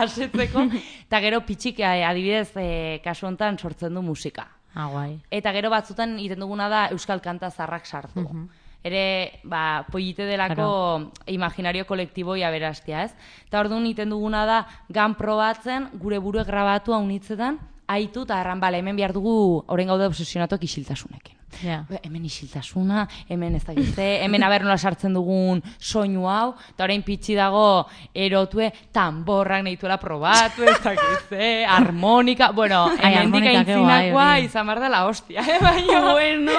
asetzeko, eta gero pitxik adibidez e, kasu honetan sortzen du musika. Ah, guai. Eta gero batzutan iten duguna da euskal kanta zarrak sartu. Uh-huh. Ere, ba, pollite delako claro. Imaginario kolektiboi aberastia, ez? Eta orduan iten duguna da gan probatzen gure burue grabatu haunitzetan, aitu eta erran, bale, hemen behar dugu orain gaude obsesionatuak isiltasunekin. Yeah. Hemen isiltasuna, hemen ez dakitze, hemen aber nola sartzen dugun soinu hau, eta orain pitxi dago erotue tamborrak nahituela probatu, ez dakitze, harmonika, bueno, hemen dika intzinakoa izan behar dela hostia, eh, baina, bueno,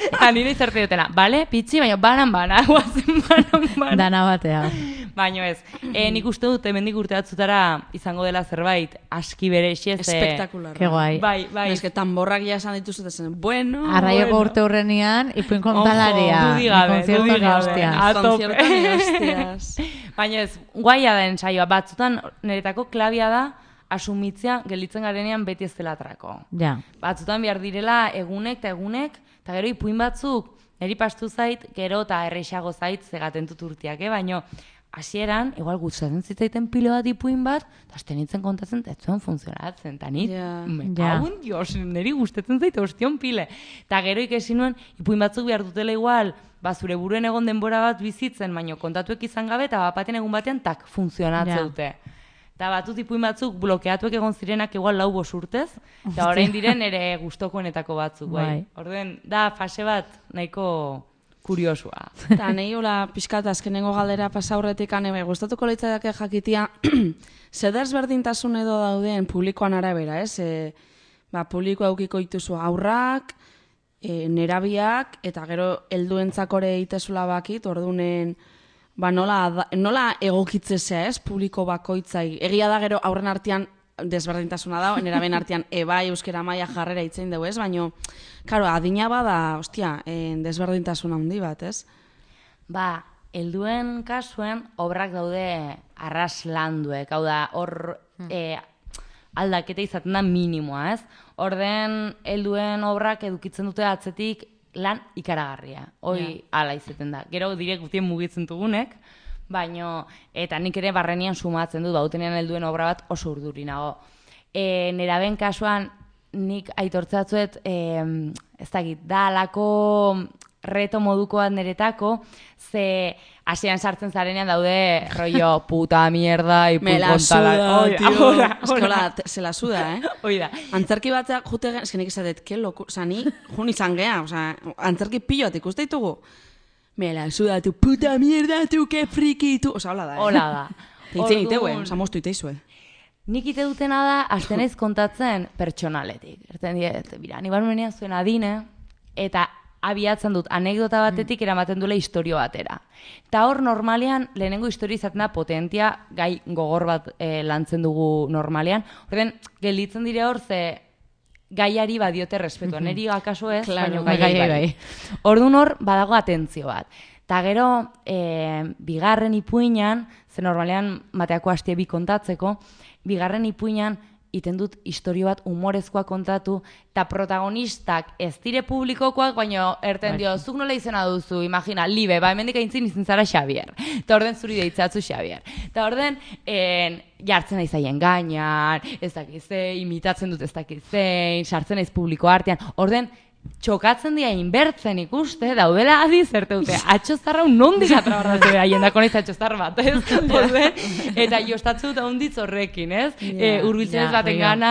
eta nire izarte dutela, bale, pitxi, baina banan-bana, guazen banan-bana. Dana batea. Baina ez, e, nik uste dut hemendik urte batzutara izango dela zerbait aski berexi ez. Espektakular. Ke guai. Bai, bai. Ez que tamborrak ja esan dituzu zen, bueno, Arraioko bueno. Urte horrenian, ipuin kontalaria. Ojo, dudigabe, dudigabe. Konziertan hostias. Baina ez, guaia da ensaioa, batzutan niretako klabia da asumitzea gelditzen garenean beti ez dela atrako. Ja. Batzutan behar direla egunek eta egunek, eta gero ipuin batzuk niri pastu zait, gero eta erreixago zait zegaten dut urtiak, eh? Baina hasieran, igual gustatzen zitzaiten pilo bat ipuin bat, eta azten nintzen kontatzen, ez zuen funtzionatzen, eta nit, Ja. me Ja. cago en Dios, niri gustatzen zait ostion pile. Eta gero ikesi nuen, ipuin batzuk behar dutela igual, ba, zure buruen egon denbora bat bizitzen, baino kontatuek izan gabe, eta bapaten egun batean, tak, funtzionatze Ja. dute. Eta batut ipuin batzuk blokeatuek egon zirenak igual lau bos urtez, eta orain diren ere gustokoenetako batzuk, bai. Bai. Orden, da fase bat nahiko kuriosua. Eta nahi hola pixkat azkenengo galdera pasaurretik ane, gustatuko leitzadake jakitia, zer ezberdintasun edo dauden publikoan arabera, ez? E, ba, publiko aukiko dituzu aurrak, e, nerabiak, eta gero helduentzakore itezula bakit, ordunen, ba, nola, da- nola egokitzezea, ez? Publiko bakoitzai. Egia da gero aurren artean desberdintasuna da, neraben artean ebai euskera maila jarrera itzein dugu, ez? Baina, karo, adina bada, ostia, eh, desberdintasuna handi bat, ez? Ba, helduen kasuen obrak daude arraslanduek, hau da, hor eh, aldaketa izaten da minimoa, ez? Orden, helduen obrak edukitzen dute atzetik lan ikaragarria. Hoi, ala izaten da. Gero direk gutien mugitzen dugunek, baino, eta nik ere barrenian sumatzen dut, bautenean helduen obra bat oso urduri nago. E, neraben kasuan, nik aitortzatzuet, e, ez dakit, da alako reto moduko bat niretako, ze hasieran sartzen zarenean daude rollo puta mierda, ipuin Me la kontala. suda, Hoi da, tío. hoi da, hoi da. Eskola, te- se la suda, eh? Hoi da. Antzerki batzak jute gen, eskenik izatet, que loku, oza, ni jun izan gea, oza, antzerki pilot ikuste ditugu. Me la suda, tu puta mierda, tu que friki, tu, oza, hola da, eh? Hola da. Teitzen iteu, eh? Orduan, Oza, moztu iteizue. nik ite dutena da, azten naiz kontatzen pertsonaletik. Erten diet, bira, ni barmenean zuen adine, eta abiatzen dut anekdota batetik eramaten duela istorio batera. Eta hor normalean, lehenengo istorio izaten da potentia, gai gogor bat eh, lantzen dugu normalean. Orden, gelditzen dire hor, ze gaiari badiote respetua. Neri akaso ez, Claro, baina gaiari gai, bai. bai. Orduan hor, badago atentzio bat. Eta gero, e, bigarren ipuinan, ze normalean mateako hastie bi kontatzeko, bigarren ipuinan iten dut istorio bat humorezkoa kontatu, eta protagonistak ez dire publikokoak, baina erten dio, zuk nola izena duzu, imagina, libe, ba, hemendik aintzin izin zara Xabier. Eta orden zuri deitzatzu Xabier. Eta orden, en, jartzen naiz haien gainan, ez dakize, imitatzen dut ez dakizein, sartzen naiz publiko artean. Orden, txokatzen dira inbertzen ikuste, daudela adi zerte dute, atxozarra un nondik atrabarratzen haien dako naiz atxozar bat, ez? Orden, eta jostatzu dut ahonditz horrekin, ez? E, urbiltzen ja, ez baten rio. gana,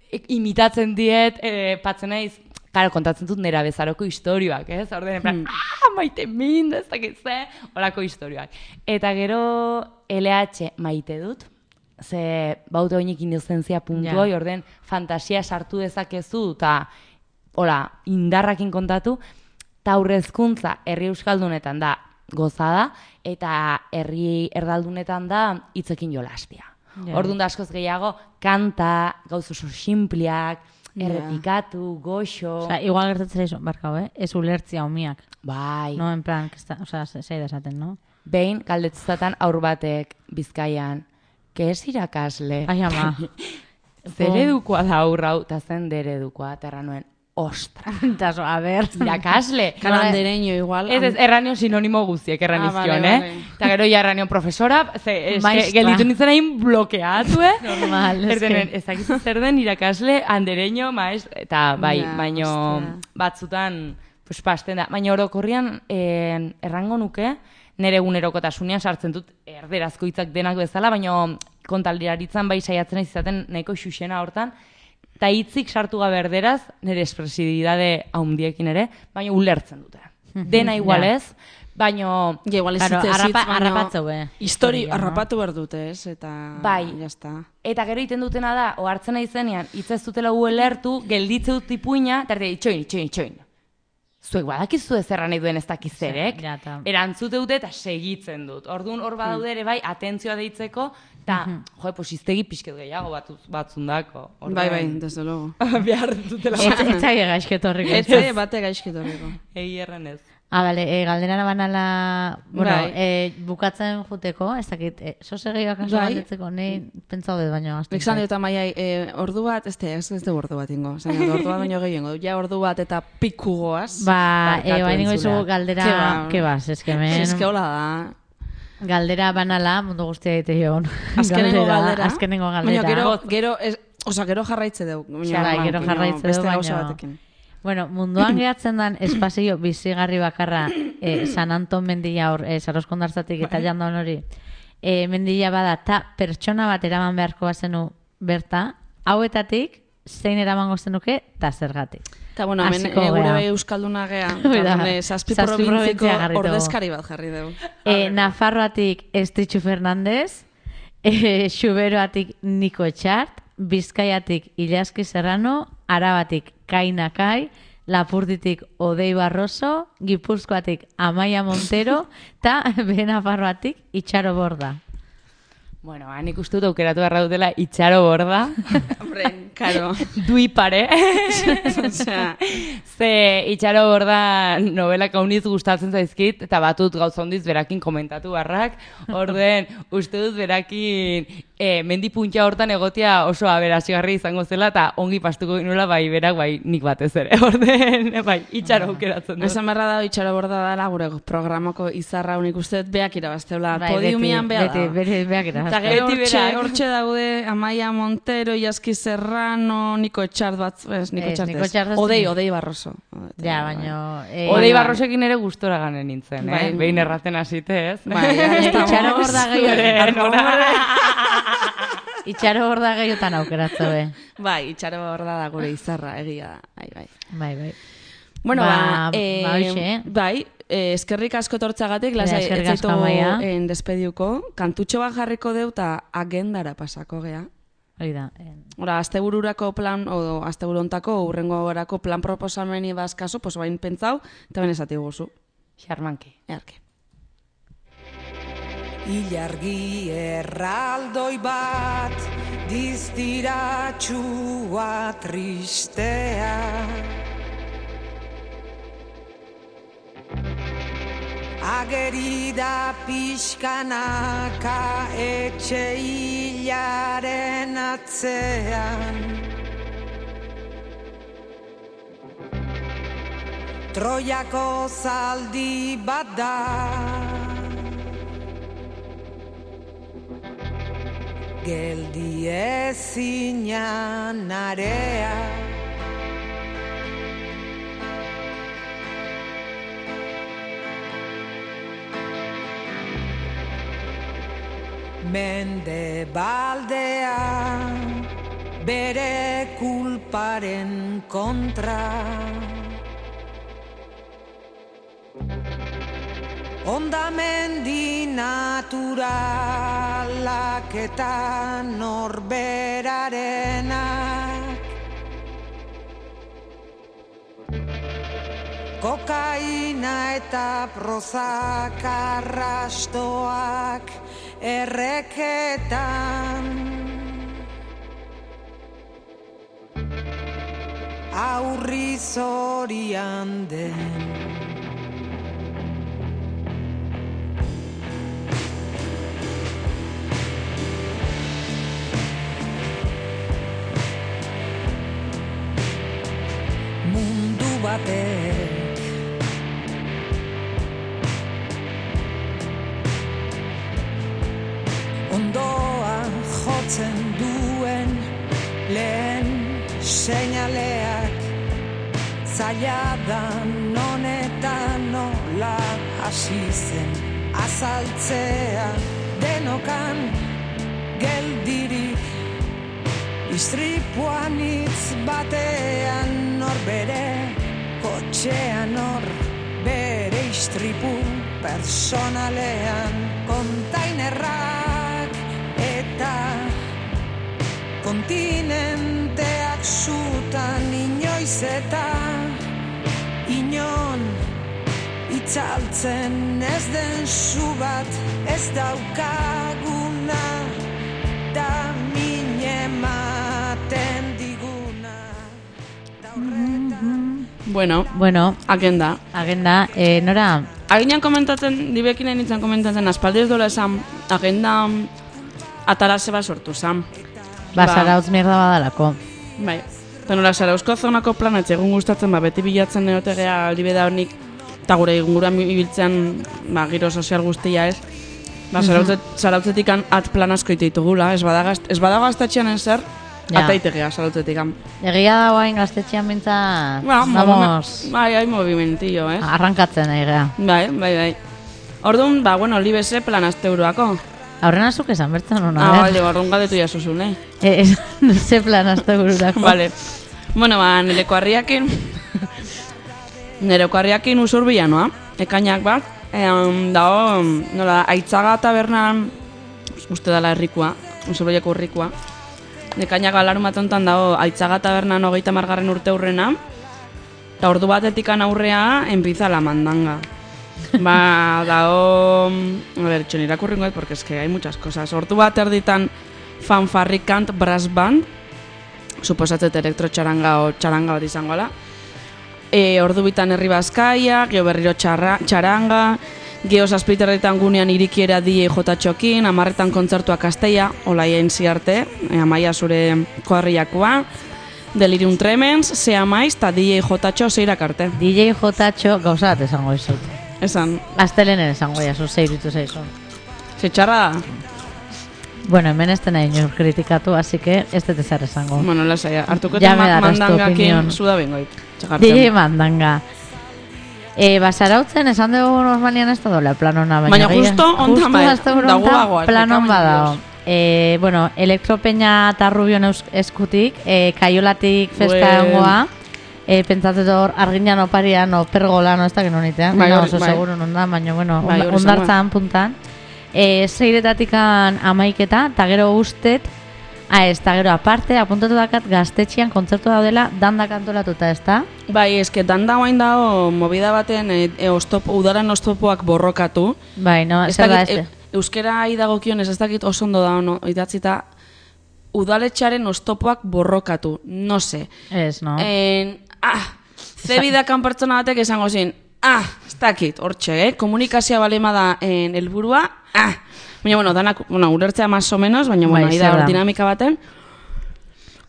e, imitatzen diet, e, patzen naiz, karo, kontatzen dut nera bezaroko istorioak, ez? Orden, en plan, ah, maite min, ez dakit ze, horako istorioak. Eta gero L H maite dut, ze baute oinik inozentzia puntu Ja. hoi, orden, fantasia sartu dezakezu, eta hola, indarrakin kontatu, eta aurrezkuntza herri euskaldunetan da gozada, eta herri erdaldunetan da hitzekin jolastia. Ja. Orduan da askoz gehiago, kanta, gauz oso simpliak, Ja. errepikatu, goxo. Osea, igual gertatzen zaizu, barkau, eh? Ez ulertzia umiak. Bai. No, en plan, que está, o sea, zei da esaten, no? Behin, galdetzatan aur batek Bizkaian, que es irakasle? Ai, ama. Zeredukoa da aurra hau, eta zen deredukoa, eta erran nuen, ostra, Taso, a ver. irakasle. Kalandereño igual. Ez, ez, erranion sinonimo guztiek erran Ah, izkion, vale, eh? vale. Eta gero ja erranion profesora, ze, eske, Maestra. gelditu nintzen hain blokeatu, eh? Normal, es Erdenen, que- ez dakizu zer den irakasle, andereño, maestra, eta bai, Ja, baino ostia. batzutan, pues, pasten da. Baina orokorrian, eh, errango nuke, nire egunerokotasunean sartzen dut erderazko hitzak denak bezala, baino kontaldiraritzan bai saiatzen naiz izaten nahiko xuxena hortan, eta hitzik sartu gabe erderaz, nire espresibidade haundiekin ere, baina ulertzen dute. Dena igual Ja. ez, baino Ja, igual ez Claro, hitz ez hitz, harrapa- baina harrapatzeu, eh, Histori historia, no? harrapatu behar dute, ez? Eta, Bai. jazta. Eta gero egiten dutena da, ohartzen naizenean, hitz ez dutela ulertu, gelditze dut ipuina, eta erde, itxoin, itxoin, itxoin. Zuek badakizu ez erran nahi duen ez dakizerek, Ja, ta- erantzute dute eta segitzen dut. Orduan hor badaude ere bai, atentzioa deitzeko, eta, jo, pues iztegi pixket gehiago batuz, batzundako. Orduan, Bai, bai, desde luego. behar dutela. Ez ez zaie gaizketorrik. Ez zaie bate gaizkitorriko. Egi erran ez. Ah, bale, e, galderara banala, bueno, Bai. e, bukatzen juteko, ez dakit, e, sose gehiago kaso Bai. galdetzeko, ni pentsau dut baino. Nik zan dut amaiai, e, ordu bat, ez ez, ez du ordu bat ingo. Zain, ordu bat baino gehiago. Ja ordu bat eta piku goaz. Ba, e, Barkatu baina izugu entzuleak. galdera, Ke ba. ke bas, ez que men, Ez que hola da. galdera banala, mundu guztia egite joan. Azkenengo galdera. Azkenengo galdera. Baina gero, gero, ez, oza, gero jarraitze dugu. Baina, Bai, ba, gero baina jarraitze beste dugu, gauza baina- batekin. Bueno, munduan gehatzen dan espazio bizigarri bakarra eh, San Anton mendila hor, eh, Saroskondartzatik eta jandaun hori, eh, mendila bada, ta pertsona bat eraman beharko bazenu berta, hauetatik zein eramango zenuke, ta zergatik. Eta, bueno, hemen Hasiko e, gure gea. bai euskalduna gea. Hoi Eta, da, hemen, eh, zazpi zazpi provintziko probintzia jarri dugu. ordezkari bat jarri dugu. E, Nafarroatik Estritxu Fernandez, e, Xuberoatik Niko Etxart, Bizkaiatik Ilaski Serrano, Arabatik Kaina Kai, Lapurditik Odei Barroso, Gipuzkoatik Amaia Montero, eta Benafarroatik Itxaro Borda. Bueno, ba, nik uste dut aukeratu beharra dutela Itxaro Borda, Hombre, karo. dui pare. Osea, Ze Itxaro Borda novelak hauniz gustatzen zaizkit, eta batut gauza hondiz berakin komentatu barrak, orden uste dut berakin e, mendi puntxa hortan egotia oso aberasgarri izango zela, eta ongi pastuko ginula bai berak bai nik batez ere. Orden, bai, Itxaro aukeratzen dut. esan beharra da, itxaro borda dela gure programako izarra unik uste dut beak irabazteula. Bai, Podiumian beti, beha beti, da. beti, beak Eta irazten. gero Beti hortxe, berak. hortxe daude Amaia Montero, Iaski Serrano, Niko Etxart bat, ez, Niko Ez, Etxart Niko ez. Etxart ez. Odei, Odei Barroso. Ja, baino... Eh, Odei Baina- Barrosekin ere gustora ganen nintzen, eh? Bai. Behin erraten hasite, ez? Bai, ya estamos. Itxaro Borda Zure, nora? gehiago... Itxaro Borda gehiotan aukeratzo be. Bai, itxaro borda da gure izarra, egia da. Bai, bai. Bai, bai. Bueno, Ba, ba, eh, ba, hoxe. bai, eh, eskerrik asko tortzagatik, Ja, lasai, eskerrik ez asko, zaitu Amaia. en despediuko. Kantutxo bat jarriko deu eta agendara pasako gea. Hori da. eh, Ora, astebururako plan, o asteburontako, urrengo gorako plan proposameni bazkaso, pues bain pentsau, eta ben esati guzu. Xarmanki. Earke. Ilargi erraldoi bat, diztiratxua tristea. Ageri da pixkanaka etxe hilaren atzean. Troiako zaldi bat da. Geldi ezinan area. Mende baldea bere kulparen kontra. Ondamendi naturalak eta norberarenak. Kokaina eta prozak arrastoak erreketan. Aurri zorian den. Mundu batek ondoa jotzen duen lehen seinaleak zaila da non eta nola hasi zen azaltzea denokan geldirik istripuan hitz batean nor bere kotxean nor bere istripu personalean kontainerrak eta kontinenteak zutan inoiz eta inon itzaltzen ez den zu bat ez daukaguna da min ematen diguna da horretan Bueno, Bueno, agenda. agenda, eh, nora, Aginan komentatzen, dibekin nahi nintzen komentatzen, aspaldi ez dola esan, agenda atara zeba sortu zan. ba, Ba. zarautz mierda badalako. Bai. Eta nola, Zarauzko zonako planatz egun gustatzen, ba, beti bilatzen neotegea aldibeda honik, eta gure inguruan ibiltzean, ba, giro sozial guztia ez. Ba, Zarautzet, Zarautzetik at plan asko ite ditugula, ez badago ez badago gaztatxean zer, Ja. ataitegea Zarautzetik. Egia da guain gaztetxean bintzat, Ba, vamos, bai, hai movimentillo, ez? arrankatzen egea. Bai, bai, bai. Orduan, ba, bueno, libese plan azteuroako. Aurrena zuk esan bertzen hona, Ah, eh? bale, orduan gadetu jasuzun, eh? Eh, ez, ze plan hasta gururako. Vale. Bueno, ba, nereko harriakin, nereko harriakin usurbila noa, ekainak bat, ean, dago, nola, Aitzaga tabernan, uste dala herrikoa, usurbileko herrikoa, ekainak alarun bat ontan dago, Aitzaga tabernan hogeita margarren urte hurrena, eta ordu batetikan aurrea, enpiza la mandanga. Ba, dago, a ver, txon irakurringo et, porque es que hay muchas cosas. Ordu bat erditan fanfarrikant brass band, suposatzet elektrotxaranga o txaranga bat izangola. E, ordu bitan herri bazkaia, geho berriro txarra, txaranga, geho zazpiterretan gunean irikiera D J Jotatxokin, amarretan kontzertuak asteia, olaien ziarte, e, amaia zure koarriakoa, Delirium Tremens, Sea Maiz, eta D J Jotatxo zeirak arte. D J Jotatxo gauza bat esango izut. Esan, Aztelenen esango jazu, zeiritu zaizu. ze txarra da? Bueno, hemen ez dena inor kritikatu, así que ez dut ezer esango. Bueno, lasaia, hartuko Ya eta me darás tu mandangakin opinión. zuda bengoik. D J Mandanga. E, basarautzen esan dugu normalian ez da dola plan hona, baina... Baina gehi- justo ontan bai, justo azte da guagoa, plan hon esplikamendu badao. Dios. E, bueno, Elektropeña eta Rubion eus- eskutik, e, Kaiolatik festa Buen. egongoa, e, pentsatzen hor arginan oparian, no pergola, no ez da genonitean, Bai, no, hori- oso bai. seguro non da, baina bueno, Bai, onda- hori ondartzan puntan. E, zeiretatikan amaiketa, eta gero ustet, ah, ez, eta gero aparte, apuntatu dakat gaztetxian kontzertu daudela, dandak antolatuta, ez da? Bai, eske danda guain dago movida baten e, e, ostop, udaren oztopoak borrokatu. Bai, no, Ez zer da dakit, este? e, euskera idagokionez ez dakit oso ondo da ono, idatzita udaletxaren oztopoak borrokatu, no se. Ez, no? En, ah, zebidakan pertsona batek esango zin, ah, ez dakit, hortxe, eh? Komunikazioa balema da en helburua, ah. Baina, bueno, danak, bueno, ulertzea más o menos, baina, bueno, Bai, ahi da zer hor da. dinamika baten.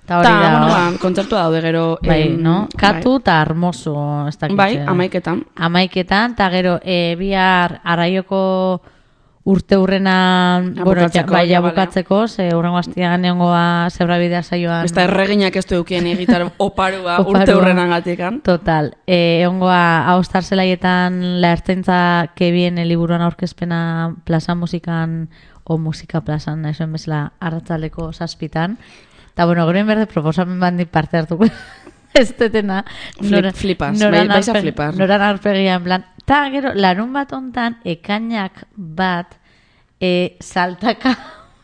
Eta hori Ta, da, bueno, ba, kontzertua daude gero. bai, em, no? Katu eta Armoso, ez dakit. Bai, eh. amaiketan. Amaiketan, eta gero, e, bihar arraioko urte hurrenan, Ja, bueno, ja, bukatzeko, bai, ja ja, bale. bukatzeko, ze hurrengo astian neongoa zebrabidea saioan. Ez da erreginak ez du eukien egitar oparua Oparua. urte hurrenan gatikan. Total, e, egongoa haustar zelaietan la ertzaintza que viene liburuan aurkezpena plaza musikan o musika plazan, nahi zuen bezala arratzaldeko zazpitan. Eta bueno, gero berde proposamen bandi parte hartuko. Ez tetena. Flip- flipas, bai- vais a flipar. Noran arpegia, en plan. Ta gero, larun bat ontan, ekainak bat, e, saltaka,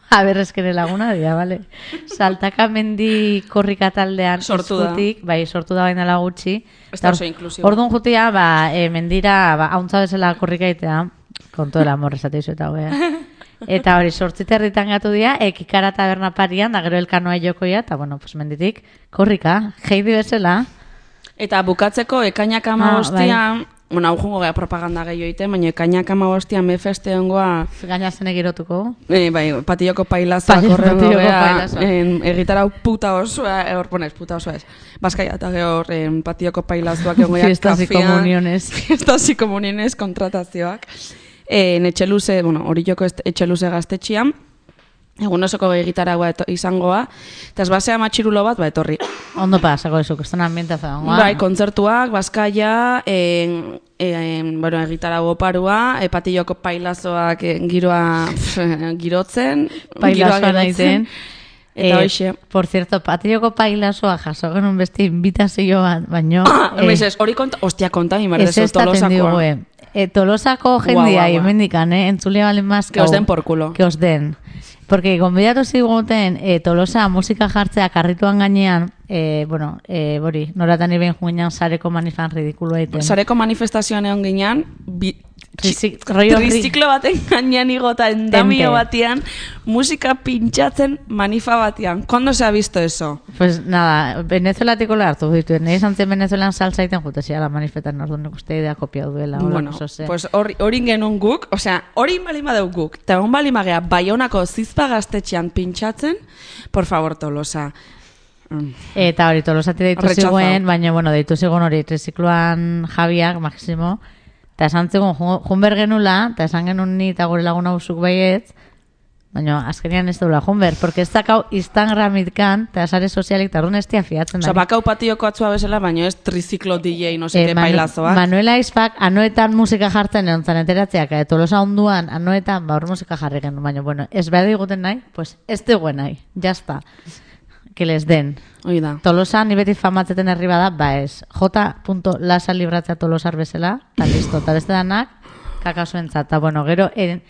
a ber, eskene laguna dira, vale? Saltaka mendi korrika taldean Sortu da. eskutik, bai, sortu da baina gutxi. Ez da Eta oso or- inklusibo. Orduan jutia, ba, e, mendira, ba, hauntza bezala korrika itea, konto dela amor esate izu eta hoea. Eta hori, sortzite herritan gatu dira, ekikara taberna parian, da gero elkanoa jokoia, eta bueno, pues menditik, korrika, jeidi bezala. Eta bukatzeko ekainak Ah, amabostian, bueno, hau jungo gara propaganda gehiago egiten, baina ekainak amabostian befeste hongoa, Gaina zenek girotuko. e, bai, patilloko pailazoak Pai- horrengo patilloko gea, pailazoak. en, egitarau puta osoa, e, hor, ponez, puta osoa ez. Bazkaia eta gehor, en, patilloko pailazoak egon Fiestas y comuniones. Fiestas y comuniones kontratazioak. En etxeluze, bueno, hori joko est- etxeluze gaztetxian, egun osoko egitaragua eto- izangoa, eta ez basea matxirulo bat, ba, etorri. Ondo pasako eso, que están ambientaza. Bai, kontzertuak, Bazkaia, en, en, bueno, egitarago parua, e, patilloko pailazoak en, giroa pf, girotzen, Pailazoa giroa naiten. Eta hoxe. Por cierto, patilloko pailazoa jaso genuen beste invitazio bat, baino... Eh, ez, hori konta, ostia, konta mi Ez mardezu ez taten tolosakoa. digue. E, tolosako Guau, jendia, guau, guau. hemendikan, eh? Entzulia balen más. Que os den por culo. Que os den. Porque gonbidatu ziguten e, Tolosa musika jartzea karrituan gainean, e, bueno, e, bori, noratan iben juenan sareko manifan ridikulua egiten. Sareko manifestazioan egon ginean, bi, Trizik- rollo ri- triziklo baten gainean igota endamio Tente. batean, musika pintxatzen manifa batean. ¿Cuándo se ha visto eso? Pues nada, venezuelatiko hartu dituen. Nahi esan zen Venezuelan salsa iten jute zia manifetan, orduan nik uste idea kopiatu duela. hola, Bueno, oso ze. pues hori hori genuen guk, osea, hori bali badeu guk, eta egon bali magea Baionako zizpa gaztetxean pintxatzen, por favor, Tolosa. Mm. Eta hori tolosati deitu Rechazado. ziguen, baina, bueno, deitu zigun hori trizikloan Javiak, Maximo, eta esan zigun jun jun behar genula, eta esan genuen ni eta gure lagun hausuk baietz, baina azkenean ez dula jun behar, porque ez dakau Instagramitkan, eta sare sozialik, eta orduan ez tia fiatzen Osea, da. bakau patioko atzua bezala, baina ez triziklo D J, no sé Eh, qué Manu- bailazoak. Manuela Aizpak anoetan musika jartzen egon zan enteratzeak, eta Tolosa onduan anoetan ba hor musika jarri genuen, baina, bueno, ez behar diguten nahi, pues ez diguen nahi, jazta, que les den. Hoi da. Tolosa ni beti famatzeten herri bada, ba ez, j. lasa libratzea Tolosar bezala, eta listo, eta beste danak, kakazuentzat, eta bueno, gero, en,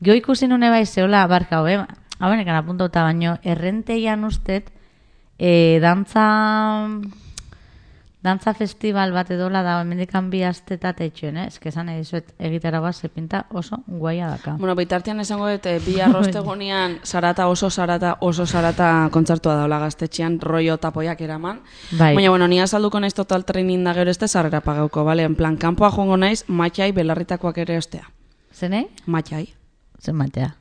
jo ikusi nune bai zeola barka, hobe, hau benekan apuntauta baino, errenteian ustet, e, dantza, dantza festival bat edola da, hemendikan bi astetat etxuen, eh? Ez que esan edizuet egitera bat, zepinta oso guaia daka. Bueno, bitartean esango dut, eh, bi arrostegunean sarata oso sarata oso sarata kontzertua daula gaztetxean, rollo tapoiak eraman. Bai. Baina, bueno, ni azalduko naiz total training da gero este sarrera pagauko, bale? En plan, kanpoa joango naiz, matxai belarritakoak ere ostea. Zenei? Matxai. Zen matea.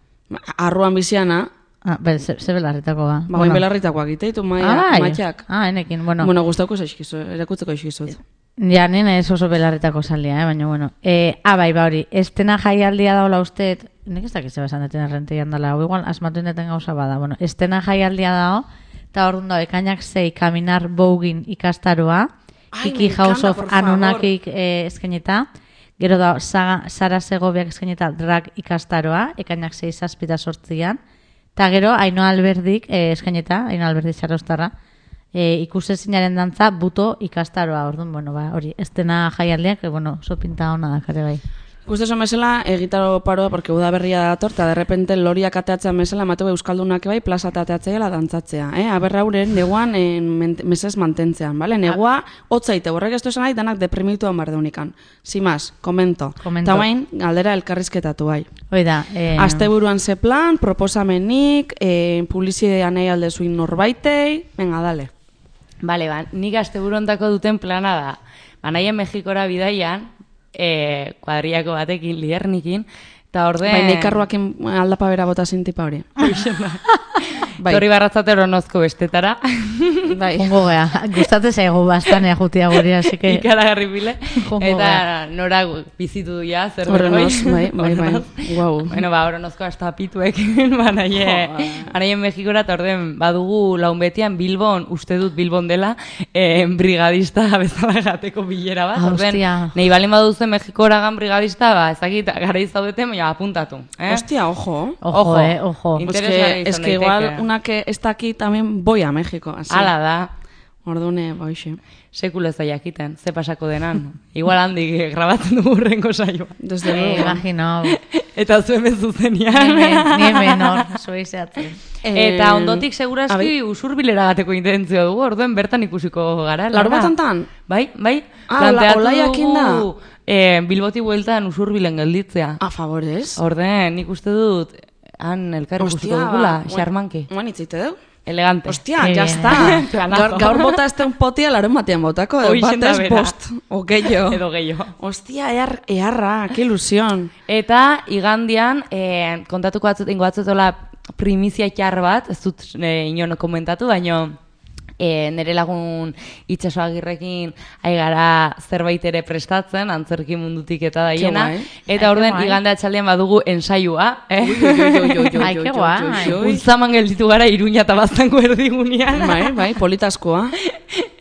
Arruan biziana, Ah, be, ze, ze belarritako ba. ba, bueno. Belarritakoak iteitu maia, Ah, bai. matxak. Ah, enekin, bueno. Bueno, gustauko zaizkizu, erakutzeko zaizkizut. Ja, nena ez oso belarritako salia, eh? Baina, bueno. E, ah, bai, ba hori, estena jaialdia daola usteet, nik ez dakit zeba esan deten errenteian dala, o igual asmatu indeten gauza bada, bueno, estena jaialdia dao, eta hor da, ekainak zei, Kaminar Bogin ikastaroa, Ai, Kiki me House encanta, of por favor. Anunnakik eh, eskeneta, gero da, Saga, Sara Segobiak eskeneta drag ikastaroa, ekainak zei zazpita sortzian, eta gero, Ainhoa Alberdik eh, eskeneta, Ainhoa Alberdik Sarostarra, e, ikusezinaren dantza buto ikastaroa, orduan, bueno, ba, hori, estena jaialdiak, e, bueno, oso pinta hona da, kare bai. Guzti esan bezala, egitaro paroa, porque uda berria dator, eta derrepente loriak ateatzen bezala, mateu euskaldunak bai, plaza ateatzea dantzatzea. Eh? Aber hauren, neguan en, mesez mantentzean, bale? Negua, hotzaite, horrek ez du esan nahi, danak deprimituan bar deunikan. Simaz, komento. Komento. Eta bain, galdera elkarrizketatu bai. Hoi da, eh, Asteburuan ze plan, proposamenik, eh, publizidean nahi aldezuin norbaitei, venga, dale. Bale, ba, nik asteburontako duten plana da. Ba, nahien Mexikora bidaian, e, kuadriako batekin, Liernikin, eta orden... Bai, neikarruakin aldapa bera bota zintipa hori. Bai. Torri barratzate eronozko bestetara. Bai. Jungo gea, gustatzen zaigu bastanea jutia guri, así que... Ikaragarri bile. Jungo Eta gea. nora bizitu du ja, zer Horrenoz, bai, bai, bai. Guau. Bueno, ba, horonozko hasta pituek, ba, naie, anaien Mexikora, eta orden, badugu laun betian Bilbon, uste dut Bilbon dela, eh, brigadista bezala gateko bilera bat. Ah, Orden, hostia. nahi balin baduzu Mexikora gan brigadista, ba, ezakit, gara izaudeten, baina apuntatu. Eh? Hostia, ojo. Ojo, Ojo. eh, ojo. In- Pues Interesgarria que, es izan que igual daiteke. una que está aquí también voy a México. Así. Hala da, Ordune, boixe. sekulo ez da jakiten, ze pasako denan. Igual handik grabatzen dugu urrengo saioa. Desde Eh, luego. imagino, Eta zuen ni bezuzenian. hemen, ni hemen hor, zuizeatzen. Eta Eh, ondotik seguraski abi- usurbilera gateko intentzio dugu, orduen bertan ikusiko gara. Larun Lara. batantan? Bai, bai. Ah, Planteatu ola- olaiakin da? dugu, eh, Bilboti bueltan usurbilen gelditzea. A favores. Orden, nik uste dut, han elkar ikusiko dugula, ba, xarmanke. Guan itzite deu? Elegante. Hostia, Qué ya bien. está. Planazo. Gaur, gaur bota este un potia larun batean botako. Hoixen da Batez bera. bost. O gehiago. Edo gehiago. Hostia, ear, earra, qué ilusión. Eta igandian, eh, kontatuko batzut, ingo batzutola primizia txar bat, ez dut eh, inon komentatu, baino eh, nire lagun itxaso agirrekin ai gara zerbait ere prestatzen, antzerki mundutik eta daiena. guai. Eta Ai, orden qué guai. igande atxaldean badugu ensaiua, eh? Ui, ui, ui, ui, ui, ui, Ai, ui, qué ui, guai. ui, ui. Ultzaman gelditu gara Iruña eta Baztango erdigunean. Bai, bai, politaskoa.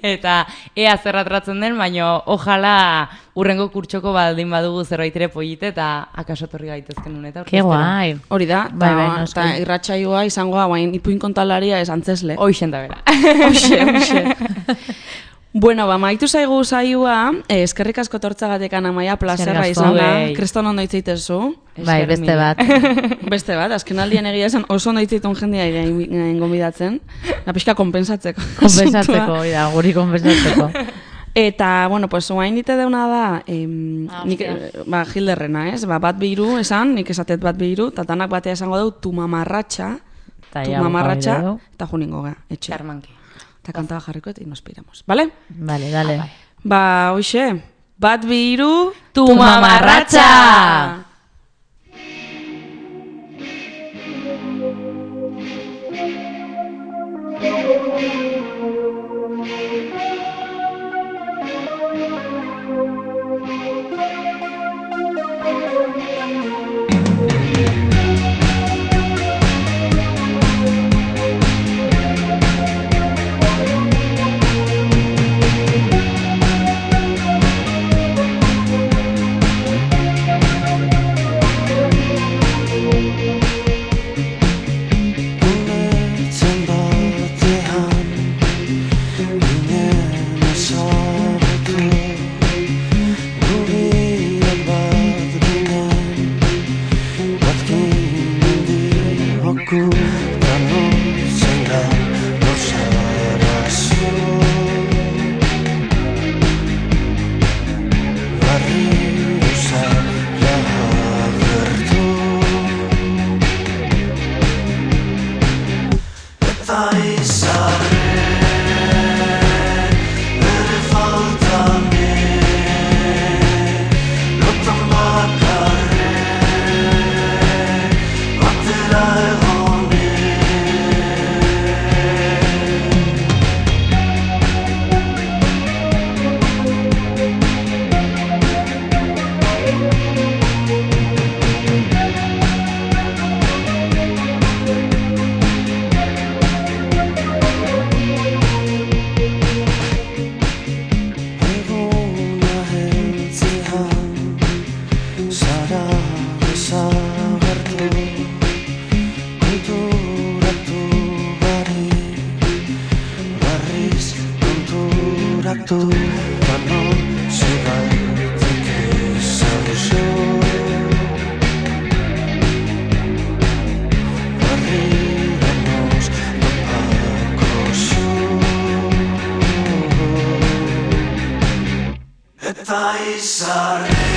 Eta ea zerratratzen den, baino ojala urrengo kurtsoko baldin badugu zerbait ere polite eta akaso torri gaitezken uneta. Qué guai. Hori da, Bai, bai, eta noski. ta irratsaioa izangoa, guain ipuin kontalaria ez antzesle. Hoixen da bera. Hoxe, hoxe. Bueno, ba, maitu zaigu saioa, eh, eskerrik asko tortzagatekan Amaia, plazerra Eskerrik asko, izan da. bai. Kriston ondo itzaitezu. Bai, beste bat. Beste bat, azken aldian egia esan oso ondo itzaitun jendea gain gonbidatzen. Na pixka konpensatzeko. Konpensatzeko, da, guri konpensatzeko. Eta, bueno, pues oain nite deuna da, em, Ah, nik, hostia. eh, ba, Hilderrena, ez? Ba, bat bihiru esan, nik esatet bat bihiru, eta tanak batea esango dugu tu mamarratxa, Ta tu ja, mamarratxa, hori dugu. eta juningo ga, etxe. Txarmanki. Eta kantaba jarriko eta nos piramos, vale? Vale, dale. Ba, hoxe, bat bihiru, Tu mamarratxa! Ulertzen batean ginen ezagutu Gubiren bat ginen bat ginen dioku Gano zenga losarazu Barriro zara agertu Eta izarren bere faltanen Lotan bakarren batera egonen Eguna heltzean zara desagertu Konturatu bari barriz konturatu Bano zegaitik ezauzo Barrira nos topako zu Eta izarren